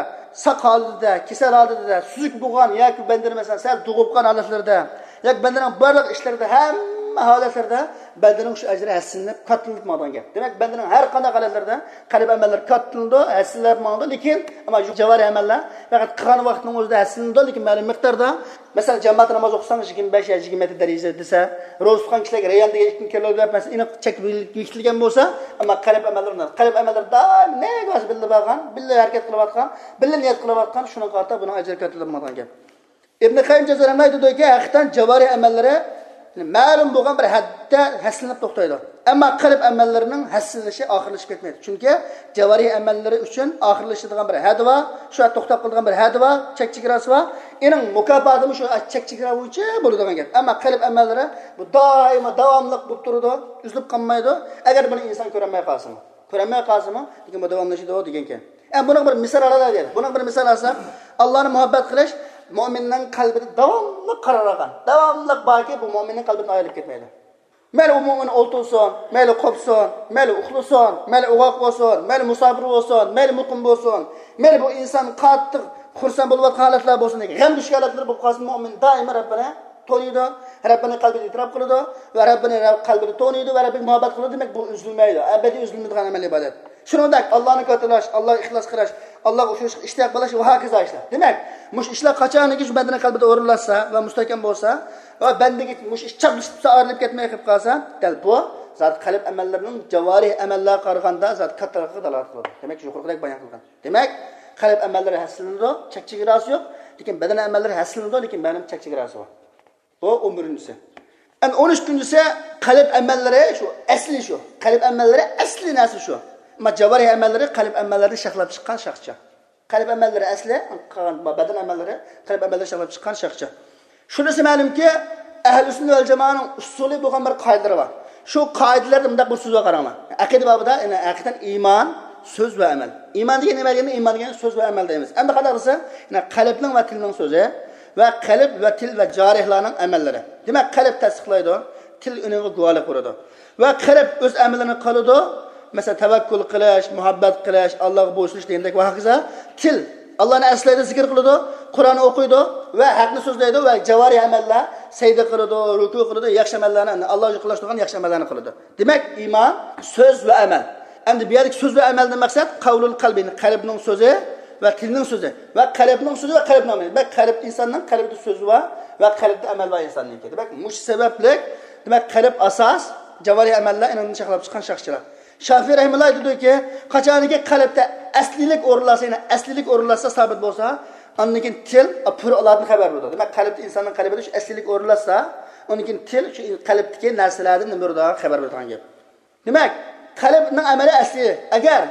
ساق ھالىتىدە، كېسەل ھالىتىدە، سۈزۈك بولغان ياكى بەندىنى، مەسىلەن، سەل دوغۇپ قالغان ھالەتلىرىدە، ياكى بەندىنىڭ بارلىق ئىشلىرىدا، ھەممە ھالەتلىرىدە بەندىنىڭ شۇ ئەجرى ھەسسىلىنىپ، كاتتىلىنىپ ماڭىدىغان گەپ. دېمەك، بەندىنىڭ ھەر قانداق ھالەتلىرىدە قەلب ئەمەللىرى كاتتىلىنىدۇ، ھەسسىلىنىپ ماڭىدۇ، لېكىن ئەمما شۇ جاۋارىھ ئەمەللەر، پەقەت قىلغان ۋاقتىنىڭ ئۆزىدە ھەسسىلىنىدۇ، لېكىن مەلۇم مىقداردا، مەسىلەن، جامائەت ناماز ئوقۇساڭ، يىگىرمە بەش يا يىگىرمە يەتتە دەرىجە دېسە، روزا تۇتقان كىشىلەرگە رەييان دېگەن ئىككى كىلو دەپ، مەسىلەن، ئېنىق چەك بېكىتىلگەن بولسا، ئەمما قەلب ئەمەللىرى، قەلب ئەمەللىرى دائىم نەگە بارسا بىللە بارغان، بىللە ھەرىكەت قىلىۋاتقان، بىللە نىيەت قىلىۋاتقان، شۇنىڭغا قارىتا بۇنىڭ ئەجرى كاتتىلىنىپ ماڭىدىغان گەپ. ئىبن قەييىم جەززارى رەھمەتۇللاھى ئەلەيھى دېدىكى، ھەقىقەتەن جاۋارىھ ئەمەللىرى، مەلۇم بولغان بىر ھەددە ھەسسىلىنىپ توختايدۇ. ئەمما قەلب ئەمەللىرىنىڭ ھەسسىلىنىشى ئاخىرلىشىپ كەتمەيدۇ. چۈنكى جاۋارىھ ئەمەللىرى ئۈچۈن ئاخىرلىشىدىغان بىر ھەددى بار، شۇ ھەددە توختاپ قالىدىغان بىر ھەددى بار، چەك چېگراسى بار. ئېنىڭ مۇكاپاتىمۇ شۇ چەك چېگرا بويىچە بولىدىغان گەپ. ئەمما قەلب ئەمەللىرى بۇ دائىما داۋاملىق بولۇپ تۇرىدۇ، ئۈزۈلۈپ قالمايدۇ. ئەگەر بۇنى ئىنسان كۆرەلمەي قالسىمۇ، كۆرەلمەي قالسىمۇ، لېكىن بۇ داۋاملىشىدۇ دېگەنكەن. ئە، بۇنىڭ بىر مىسال ئالايلى دېدى. بۇنىڭ بىر مىسال ئالساق، ئاللانى مۇھەببەت قىلىش مۆمىننىڭ قەلبىدە داۋاملىق قارار ئالغان، داۋاملىق باركى، بۇ مۆمىننىڭ قەلبىدىن ئايرىلىپ كەتمەيدۇ. مەيلى ئۇ مۆمىن ئولتۇرسۇن، مەيلى قوپسۇن، مەيلى ئۇخلىسۇن، مەيلى ئوغاق بولسۇن، مەيلى مۇساپىر بولسۇن، مەيلى مۇقىم بولسۇن، مەيلى بۇ ئىنسان قاتتىق خۇرسەن بولۇۋاتقان ھالەتلەر بولسۇن، غەم چۈشكەن ھالەتلەر بولۇپ قالسۇن، مۆمىن دائىما رەببىنى تونۇيدۇ، رەببىنى قەلبىدە ئېتىراپ قىلىدۇ ۋە رەببىنى قەلبىدە تونۇيدۇ ۋە رەببىگە مۇھەببەت قىلىدۇ. دېمەك، بۇ ئۈزۈلمەيدۇ، ئەبەدىي ئۈزۈلمەيدىغان ئەمەلىي ئىبادەت. شۇنىڭدەك ئاللانى كاتتىلاش، ئاللاغا ئىخلاس قىلىش، ئاللاغا ئوخشاشلىققا ئىشتىياق بولۇش ۋە ھاكازا ئىشلار. دېمەك، مۇشۇ ئىشلار قاچانكى شۇ بەندىنىڭ قەلبىدە ئورۇنلاشسا ۋە مۇستەھكەم بولسا ۋە بەندىگە مۇشۇ ئىش چاپلىشىپ تۇرسا، ئايرىلىپ كەتمەي قېلىپ قالسا، دەل بۇ زات قەلب ئەمەللىرىنىڭ جاۋارىھ ئەمەللەرگە قارىغاندا زات كاتتىلىقىغا دالالەت قىلىدۇ. دېمەك، يۇقىرىقىدەك بايان قىلغان. دېمەك، قەلب ئەمەللىرى ھەسسىلىنىدۇ، چەك چېگراسى يوق. لېكىن بەدەن ئەمەللىرى ھەسسىلىنىدۇ، لېكىن مەلۇم چەك چېگراسى بار. بۇ ئون بىرىنچىسى. ئەمدى ئون ئىككىنچىسى، قەلب ئەمەللىرى شۇ، ئەسلى شۇ. قەلب ئەمەللىرى ئەسلى نەرسە شۇ. ئەمما جاۋارىھ ئەمەللىرى قەلب ئەمەللىرىدىن شاخلاپ چىققان شاخچە. قەلب ئەمەللىرى ئەسلى، قالغان بەدەن ئەمەللىرى قەلب ئەمەللىرىدىن شاخلاپ چىققان شاخچە. شۇنىسى مەلۇمكى، ئەھلى سۈننە ۋەل جامائەنىڭ ئۇسۇلى بولغان بىر قائىدىلىرى بار. شۇ قائىدىلەردە مۇنداق بىر سۆز بار، قاراڭلار. ئەقىدە بابىدا، يەنى ھەقىقەتەن ئىمان سۆز ۋە ئەمەل. ئىمان دېگەن نېمە دېگەندە، ئىمان دېگەن سۆز ۋە ئەمەل دەيمىز. ئەمدى قانداق دېسە، يەنى قەلبنىڭ ۋە تىلنىڭ سۆزى ۋە قەلب ۋە تىل ۋە جارىھلارنىڭ ئەمەللىرى. دېمەك، قەلب تەستىقلايدۇ، تىل ئۇنىڭغا گۇۋاھلىق بېرىدۇ. ۋە قەلب ئۆز ئەمىلىنى قىلىدۇ. مەسىلەن، تەۋەككۈل قىلىش، مۇھەببەت قىلىش، ئاللاغا بويسۇنۇش دېگەندەك ۋە ھاكازا. تىل ئاللانى ئەسلەيدۇ، زىكىر قىلىدۇ، قۇرئان ئوقۇيدۇ ۋە ھەقنى سۆزلەيدۇ ۋە جاۋارىھ ئەمەللەر سەجدە قىلىدۇ، رۇكۇ قىلىدۇ، ياخشى ئەمەللەرنى، ئاللاغا يېقىنلاشتۇرىدىغان ياخشى ئەمەللەرنى قىلىدۇ. دېمەك، ئىمان سۆز ۋە ئەمەل. ئەمدى بۇ يەردىكى سۆز ۋە ئەمەلدىن مەقسەت قەۋلۇل قەلبى، قەلبنىڭ سۆزى ۋە تىلنىڭ سۆزى ۋە قەلبنىڭ سۆزى ۋە قەلبنىڭ ئەمەلى. دېمەك، قەلب ئىنساننىڭ قەلبىدە سۆزى بار ۋە قەلبىدە ئەمەل بار ئىنساننىڭكى. دېمەك، مۇشۇ سەۋەبلىك، دېمەك، قەلب ئاساس، جاۋارىھ ئەمەللەر ئېنىڭدىن شاخلاپ چىققان شاخچىلار. شافىي رەھىمۇللا ئېيتىدۇكى، قاچانكى قەلبتە ئەسلىيلىك ئورۇنلاشسا، يەنى ئەسلىيلىك ئورۇنلاشسا سابىت بولسا، ئاندىن كېيىن تىل پۈر ئالادىن خەۋەر بېرىدۇ. دېمەك، قەلبتە ئىنساننىڭ قەلبىدە شۇ ئەسلىيلىك ئورۇنلاشسا، ئاندىن كېيىن تىل شۇ قەلبتىكى نەرسىلەردىن نېمە بېرىدىغان خەۋەر بېرىدىغان گەپ. دېمەك، قەلبنىڭ ئەمەلى ئەسلى. ئەگەر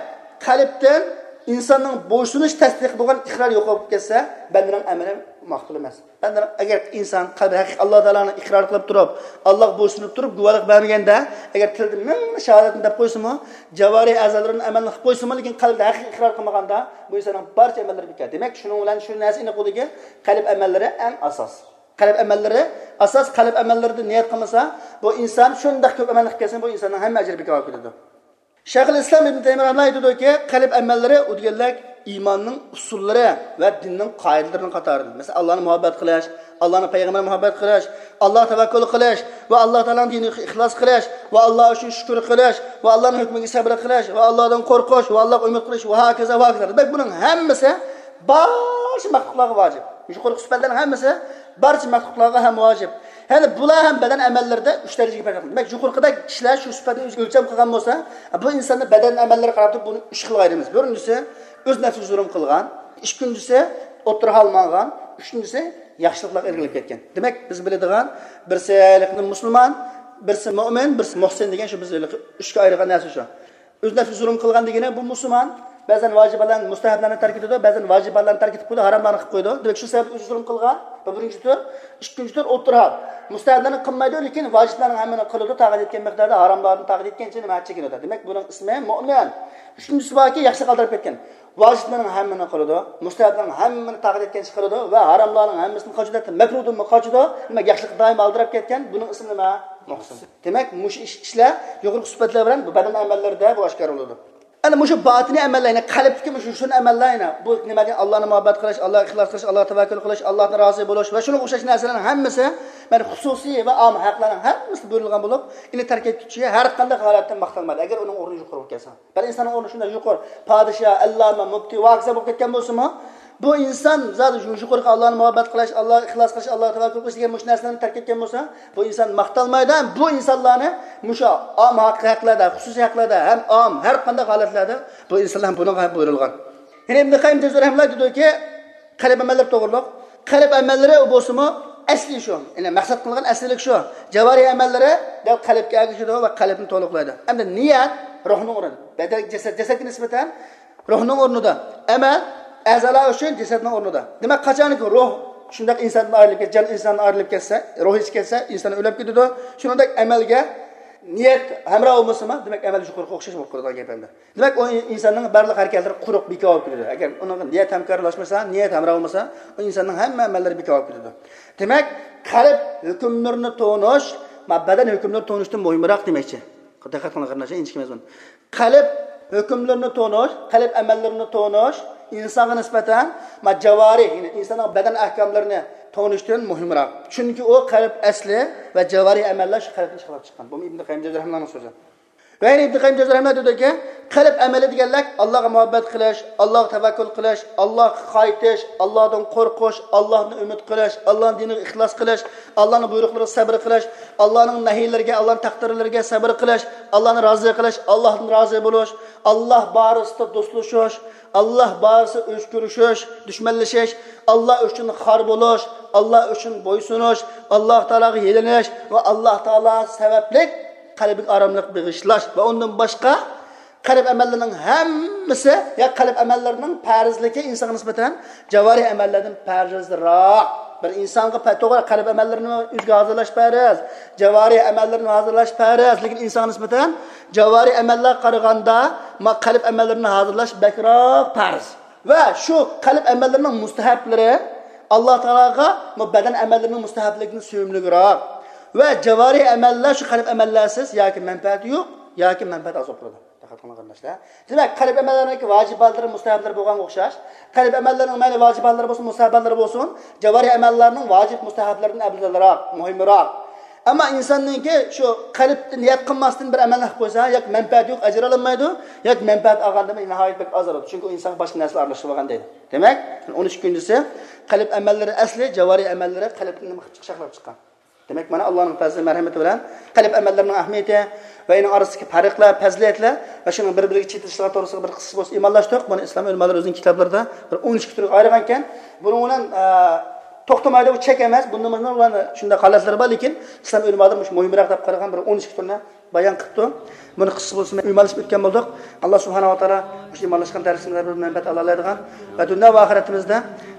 قەلبتىن ئىنساننىڭ بويسۇنۇش تەستىقى بولغان ئىقرار يوقاپ كەتسە، بەندىنىڭ ئەمىلى مەقبۇل ئەمەس. بەندىنىڭ، ئەگەر ئىنسان قەلبى ھەقىقىي ئاللا تائالانى ئىقرار قىلىپ تۇرۇپ، ئاللاغا بويسۇنۇپ تۇرۇپ، گۇۋاھلىق بەرمىگەندە، ئەگەر تىلدا مىڭ شاھادەتنى دەپ قويسىمۇ، جاۋارىھ ئەزالىرىنى ئەمەلنى قىلىپ قويسىمۇ، لېكىن قەلبىدە ھەقىقىي ئىقرار قىلمىغاندا، بۇ ئىنساننىڭ بارچە ئەمەللىرى بىكار. دېمەك، شۇنىڭ بىلەن شۇ نەرسە ئېنىق بولدىكى، قەلب ئەمەللىرى ئەڭ ئاساس. قەلب ئەمەللىرى ئاساس، قەلب ئەمەللىرىدە نىيەت قىلمىسا، بۇ ئىنسان شۇنداق كۆپ ئەمەلنى قىلىپ كەلسىمۇ، بۇ ئىنساننىڭ ھەممە ئەجرى بىكار بولۇپ كېتىدۇ. شەيخۇل ئىسلام ئىبن تەيمىيە رەھىمەھۇللاھ ئېيتىدۇكى، قەلب ئەمەللىرى ئۇ دېگەنلىك ئىماننىڭ ئۇسۇللىرى ۋە دىننىڭ قائىدىلىرىنىڭ قاتارىدىن. مەسىلەن، ئاللانى مۇھەببەت قىلىش، ئاللانىڭ پەيغەمبىرىگە مۇھەببەت قىلىش، ئاللاغا تەۋەككۈل قىلىش ۋە ئاللا تائالانىڭ دىنىغا ئىخلاس قىلىش ۋە ئاللا ئۈچۈن شۈكۈر قىلىش ۋە ئاللانىڭ ھۆكمىگە سەبرى قىلىش ۋە ئاللادىن قورقۇش ۋە ئاللاغا ئۈمىد قىلىش ۋە ھاكازا، ۋە ھاكازا. دېمەك، بۇنىڭ ھەممىسى بارچە مەخلۇقلارغا ۋاجىپ. يۇقىرىقى سۈپەتلەرنىڭ ھەممىسى بارچە مەخلۇقلارغا ھەم ۋاجىپ. يەنى بۇلار ھەم بەدەن ئەمەللىرىدە ئۈچ دەرىجىگە پەرق قىلىدۇ. دېمەك، يۇقىرىقىدەك كىشىلەر شۇ سۈپەتنى ئۆلچەم قىلغان بولسا، بۇ ئىنساننى بەدەن ئەمەللىرىگە قاراپ تۇرۇپ بۇنى ئۈچ خىلغا ئايرىمىز. بىرىنچىسى، ئۆز نەپسىگە زۇلۇم قىلغان. ئىككىنچىسى، ئوتتۇرا ھال ماڭغان. ئۈچىنچىسى، ياخشىلىقلارغا ئىلگىرىلەپ كەتكەن. دېمەك، بىز بىلىدىغان، بىرسى مۇسۇلمان، بىرسى مۆمىن، بىرسى مۇھسىن دېگەن شۇ بىز ئۈچكە ئايرىغان نەرسە شۇ. ئۆز نەپسىگە زۇلۇم قىلغان دېگىنى بۇ مۇسۇلمان بەزەن ۋاجىبلارنى، مۇستەھەبلەرنى تەرك ئېتىدۇ، بەزەن ۋاجىبلارنى تەرك ئېتىپ قويىدۇ، ھاراملارنى قىلىپ قويىدۇ. دېمەك، شۇ سەۋەبتىن ئۆزىگە زۇلۇم قىلغان. بۇ بىرىنچى تۈر. ئىككىنچى تۈر ئوتتۇرا ھال. مۇستەھەبلەرنى قىلمايدۇ، لېكىن ۋاجىپلارنىڭ ھەممىنى قىلىدۇ، تاقەت يەتكەن مىقداردا، ھاراملاردىن تاقەت يەتكەنچە نېمە چېكىنىدۇ. دېمەك، بۇنىڭ ئىسمى مۆمىن. ئۈچىنچىسى باركى، ياخشىلىق ئالدىراپ كەتكەن. ۋاجىپلارنىڭ ھەممىنى قىلىدۇ، مۇستەھەبلەرنىڭ ھەممىنى تاقەت يەتكەنچە قىلىدۇ ۋە ھاراملارنىڭ ھەممىسىدىن قاچىدۇ، ھەتتا مەكرۇدىنمۇ قاچىدۇ. دېمەك، ياخشىلىققا دائىم ئالدىراپ كەتكەن، بۇنىڭ ئىسمى نېمە؟ مۇھسىن. دېمەك، مۇشۇ ئىش، ئىشلار يۇقىرىقى سۈپەتلەر بىلەن بۇ بەدەن ئەمەللىرىدە بۇ ئاشكارا بولىدۇ. ئەنە مۇشۇ باتىنىي ئەمەللەر، يەنى قەلبتىكى مۇشۇ يوشۇرۇن ئەمەللەر، يەنە بۇ نېمە دېگەن، ئاللانى مۇھەببەت قىلىش، ئاللاغا ئىخلاس قىلىش، ئاللاغا تەۋەككۈل قىلىش، ئاللاھتىن رازى بولۇش ۋە شۇنىڭغا ئوخشاش نەرسىلەرنىڭ ھەممىسى، مەن خۇسۇسىي ۋە ئام ھەقلەرنىڭ ھەممىسى بۇيرۇلغان بولۇپ، ئۇنى تەرك ئەتكۈچى ھەر قانداق ھالەتتە ماختالمايدۇ، ئەگەر ئۇنىڭ ئورنى يۇقىرى بولۇپ كەلسە. بىر ئىنساننىڭ ئورنى شۇنداق يۇقىرى، پادىشاھ، ئەللامە، مۇپتى، ۋاكىزە بولۇپ كەتكەن بولسىمۇ، بۇ ئىنسان زادى شۇ يۇقىرىقى ئاللانى مۇھەببەت قىلىش، ئاللاغا ئىخلاس قىلىش، ئاللاغا تەۋەككۈل قىلىش دېگەن مۇشۇ نەرسىلەرنى تەرك ئەتكەن بولسا، بۇ ئىنسان ماختالمايدۇ. ھەم بۇ ئىنسانلارنى مۇشۇ ئام ھەق، ھەقلەردە، خۇسۇسىي ھەقلەردە، ھەم ئام ھەر قانداق ھالەتلەردە بۇ ئىنسانلار ھەم بۇنىڭغا ھەم بۇيرۇلغان. يەنە ئىبن قەييىم جەۋزىي رەھىمەھۇللا دېدىكى، قەلب ئەمەللىرى توغرۇلۇق. قەلب ئەمەللىرى بولسىمۇ ئەسلى شۇ. يەنى مەقسەت قىلغان ئەسلىلىك شۇ. جاۋارىھ ئەمەللىرى دەل قەلبكە ئەگىشىدۇ ۋە قەلبنى تولۇقلايدۇ. ئەمدى نىيەت روھنىڭ ئورنىدا. بەدەن، جەسەت، جەسەتكە نىسبەتەن روھنىڭ ئورنىدا. ئەمەل ئەزالار ئۈچۈن جەسەتنىڭ ئورنىدا. دېمەك، قاچانكى روھ شۇنداق ئىنساندىن ئايرىلىپ كەت-، جان ئىنساندىن ئايرىلىپ كەتسە، روھى كەتسە، ئىنسان ئۆلۈپ كېتىدۇ. شۇنىڭدەك ئەمەلگە نىيەت ھەمراھ بولمىسىمۇ، دېمەك، ئەمەل يۇقىرىقىغا ئوخشاش بولۇپ قالىدىغان گەپ ئەمدى. دېمەك، ئۇ ئىنساننىڭ بارلىق ھەرىكەتلىرى قۇرۇق، بىكار بولۇپ كېتىدۇ. ئەگەر ئۇنىڭغا نىيەت ھەمكارلاشمىسا، نىيەت ھەمراھ بولمىسا، ئۇ ئىنساننىڭ ھەممە ئەمەللىرى بىكار بولۇپ كېتىدۇ. دېمەك، قەلب ھۆكۈملىرىنى تونۇش، ما، بەدەن ھۆكۈملىرىنى تونۇشتىن مۇھىمراق دېمەكچى. دىققەت قىلىڭ، قېرىنداشلار، ئىنچىكە مەزمۇن. قەلب ھۆكۈملىرىنى تونۇش، قەلب ئەمەللىرىنى تونۇش ئىنسانغا نىسبەتەن، ما، جاۋارىھ، يەنى ئىنساننىڭ بەدەن ئەھكاملىرىنى تونۇشتىن مۇھىمراق. چۈنكى ئۇ قەلب ئەسلى ۋە جاۋارىھ ئەمەللەر شۇ قەلبتىن چىقىرىلىپ چىققان. بۇ ئىبن قەييىم جەۋزىي رەھىمەھۇللانىڭ سۆزى. ۋە يەنە ئىبن قەييىم جەۋزىي رەھىمەھۇللا دېدىكى، قەلب ئەمەلى دېگەنلەر ئاللاغا مۇھەببەت قىلىش، ئاللاغا تەۋەككۈل قىلىش، ئاللاغا قايتىش، ئاللادىن قورقۇش، ئاللادىن ئۈمىد قىلىش، ئاللانىڭ دىنىغا ئىخلاس قىلىش، ئاللانىڭ بۇيرۇقلىرىغا سەبرى قىلىش، ئاللانىڭ نەھىيلىرىگە، ئاللانىڭ تەقدىرلىرىگە سەبرى قىلىش، ئاللانى رازى قىلىش، ئاللاھتىن رازى بولۇش، ئاللا بارىسىدا دوستلىشىش، ئاللا بارىسىدا ئۆچ كۆرۈشۈش، دۈشمەنلىشىش، ئاللا ئۈچۈن خار بولۇش، ئاللا ئۈچۈن بويسۇنۇش، ئاللا تائالاغا يېلىنىش ۋە ئاللا تائالا سەۋەبلىك قەلبىگە ئاراملىق بېغىشلاش ۋە ئۇندىن باشقا قەلب ئەمەللىرىنىڭ ھەممىسى، يا قەلب ئەمەللىرىنىڭ پەرزلىكى ئىنسانغا نىسبەتەن جاۋارىھ ئەمەللەردىن پەرزراق. بىر ئىنسانغا پە-، توغرا قەلب ئەمەللىرىنى ئۆزىگە ھازىرلاش پەرز، جاۋارىھ ئەمەللىرىنى ھازىرلاش پەرز، لېكىن ئىنسانغا نىسبەتەن جاۋارىھ ئەمەللەرگە قارىغاندا ما-، قەلب ئەمەللىرىنى ھازىرلاش بەكرەك پەرز. ۋە شۇ قەلب ئەمەللىرىنىڭ مۇستەھەبلىرى ئاللا تائالاغا بۇ بەدەن ئەمەللىرىنىڭ مۇستەھەبلىكىدىن سۆيۈملۈكرەك. ۋە جاۋارىھ ئەمەللەر شۇ قەلب ئەمەللەرسىز ياكى مەنپەئەتى يوق، ياكى مەنپەئەت ئاز بولۇپ تۇرىدۇ. دىققەت قىلىڭ، قېرىنداشلار. دېمەك، قەلب ئەمەللەرنىڭكى ۋاجىباتلىرى، مۇستەھەبلىرى بولغانغا ئوخشاش، قەلب ئەمەللىرىنىڭ مەيلى ۋاجىباتلىرى بولسۇن، مۇستەھەبلىرى بولسۇن، جاۋارىھ ئەمەللەرنىڭ ۋاجىب، مۇستەھەبلىرىدىن ئەۋزەلرەك، مۇھىمراق. ئەمما ئىنساننىڭكى شۇ قەلبتە نىيەت قىلماستىن بىر ئەمەلنى قىلىپ قويسا، ياكى مەنپەئەت يوق، ئەجىر ئالالمايدۇ، ياكى مەنپەئەت ئالغاندا ناھايىتى بەك ئاز ئالىدۇ. چۈنكى ئۇ ئىنسانغا باشقا نەرسىلەر ئارىلىشىپ بولغان دەيدۇ. دېمەك، ئون ئۈچ كۈنجىسى قەلب ئەمەللىرى ئەسلى، جاۋارىھ ئەمەللىرى قەلبتىن نېمە قىلىپ چىقىشاقلاپ چىققان. دېمەك، مانا ئاللانىڭ پەزلى مەرھەمىتى بىلەن قەلب ئەمەللىرىنىڭ ئەھمىيىتى ۋە ئۇنىڭ ئارىسىدىكى پەرقلەر، پەزىلەتلەر ۋە شۇنىڭ بىر-بىرىگە چېتىشلىقى توغرىسىدا بىر قىسقىچە بولسا ئىمانلاشتۇق. بۇنى ئىسلام ئۆلىمالىرى ئۆزىنىڭ كىتابلىرىدا بىر ئون ئىككى تۈرگە ئايرىغانىكەن. بۇنىڭ بىلەن، ئە، توختىمايدۇ، بۇ چەك ئەمەس. بۇندىن باشقا شۇنداق ھالەتلىرى بار، لېكىن ئىسلام ئۆلىمالىرى مۇشۇ مۇھىمراق دەپ قارىغان بىر ئون ئىككى تۈرنى بايان قىپتۇ. بۇنى قىسقىسى بولسىمۇ ئۆمەلىشىپ ئۆتكەن بولدۇق. ئاللا سۇبھانەھۇ ۋە تائالا مۇشۇ ئىمانلاشقان دەرسىمىزدە بىر مەنپەئەت ئالالايدىغان ۋە دۇنيا ۋە ئاخىرەتىمىزدە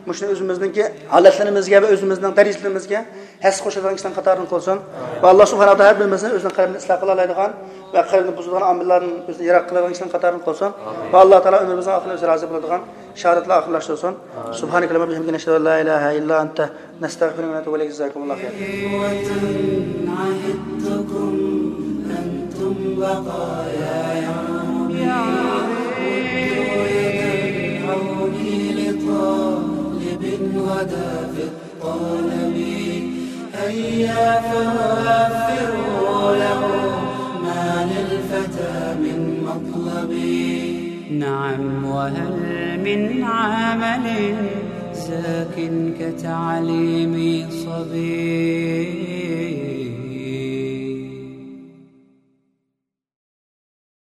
مۇشۇنى ئۆزىمىزنىڭكى ھالەتلىرىمىزگە ۋە ئۆزىمىزنىڭ دەرىجىلىرىمىزگە ھەسسە قوشىدىغان كىشىلەرنىڭ قاتارىدىن قىلسۇن. ۋە ئاللا سۇبھانەھۇ ۋە تائالا ھەر بىرىمىزنى ئۆزىنىڭ قەلبىنى ئىسلاھ قىلالايدىغان ۋە قەلبىنى بۇزىدىغان ئامىللاردىن ئۆزىنى يىراق قىلىدىغان كىشىلەرنىڭ قاتارىدىن قىلسۇن. ۋە ئاللا تائالا ئۆمرىمىزنىڭ ئاخىرىنى ئۆزى رازى بولىدىغان شاھادەتلەر ئاخىرلاشتۇرسۇن. سبحانك اللهم وبحمدك، نشهد أن لا إله إلا أنت، نستغفرك ونتوب إليك. جزاكم الله خيرا. عهدتكم أنتم بقايا يومي، مدوا يد العون لطالب غدا في الطلب. هيا فوفروا له ما للفتى من مطلب. نعم، وهل من عمل زاك كتعليم صبي؟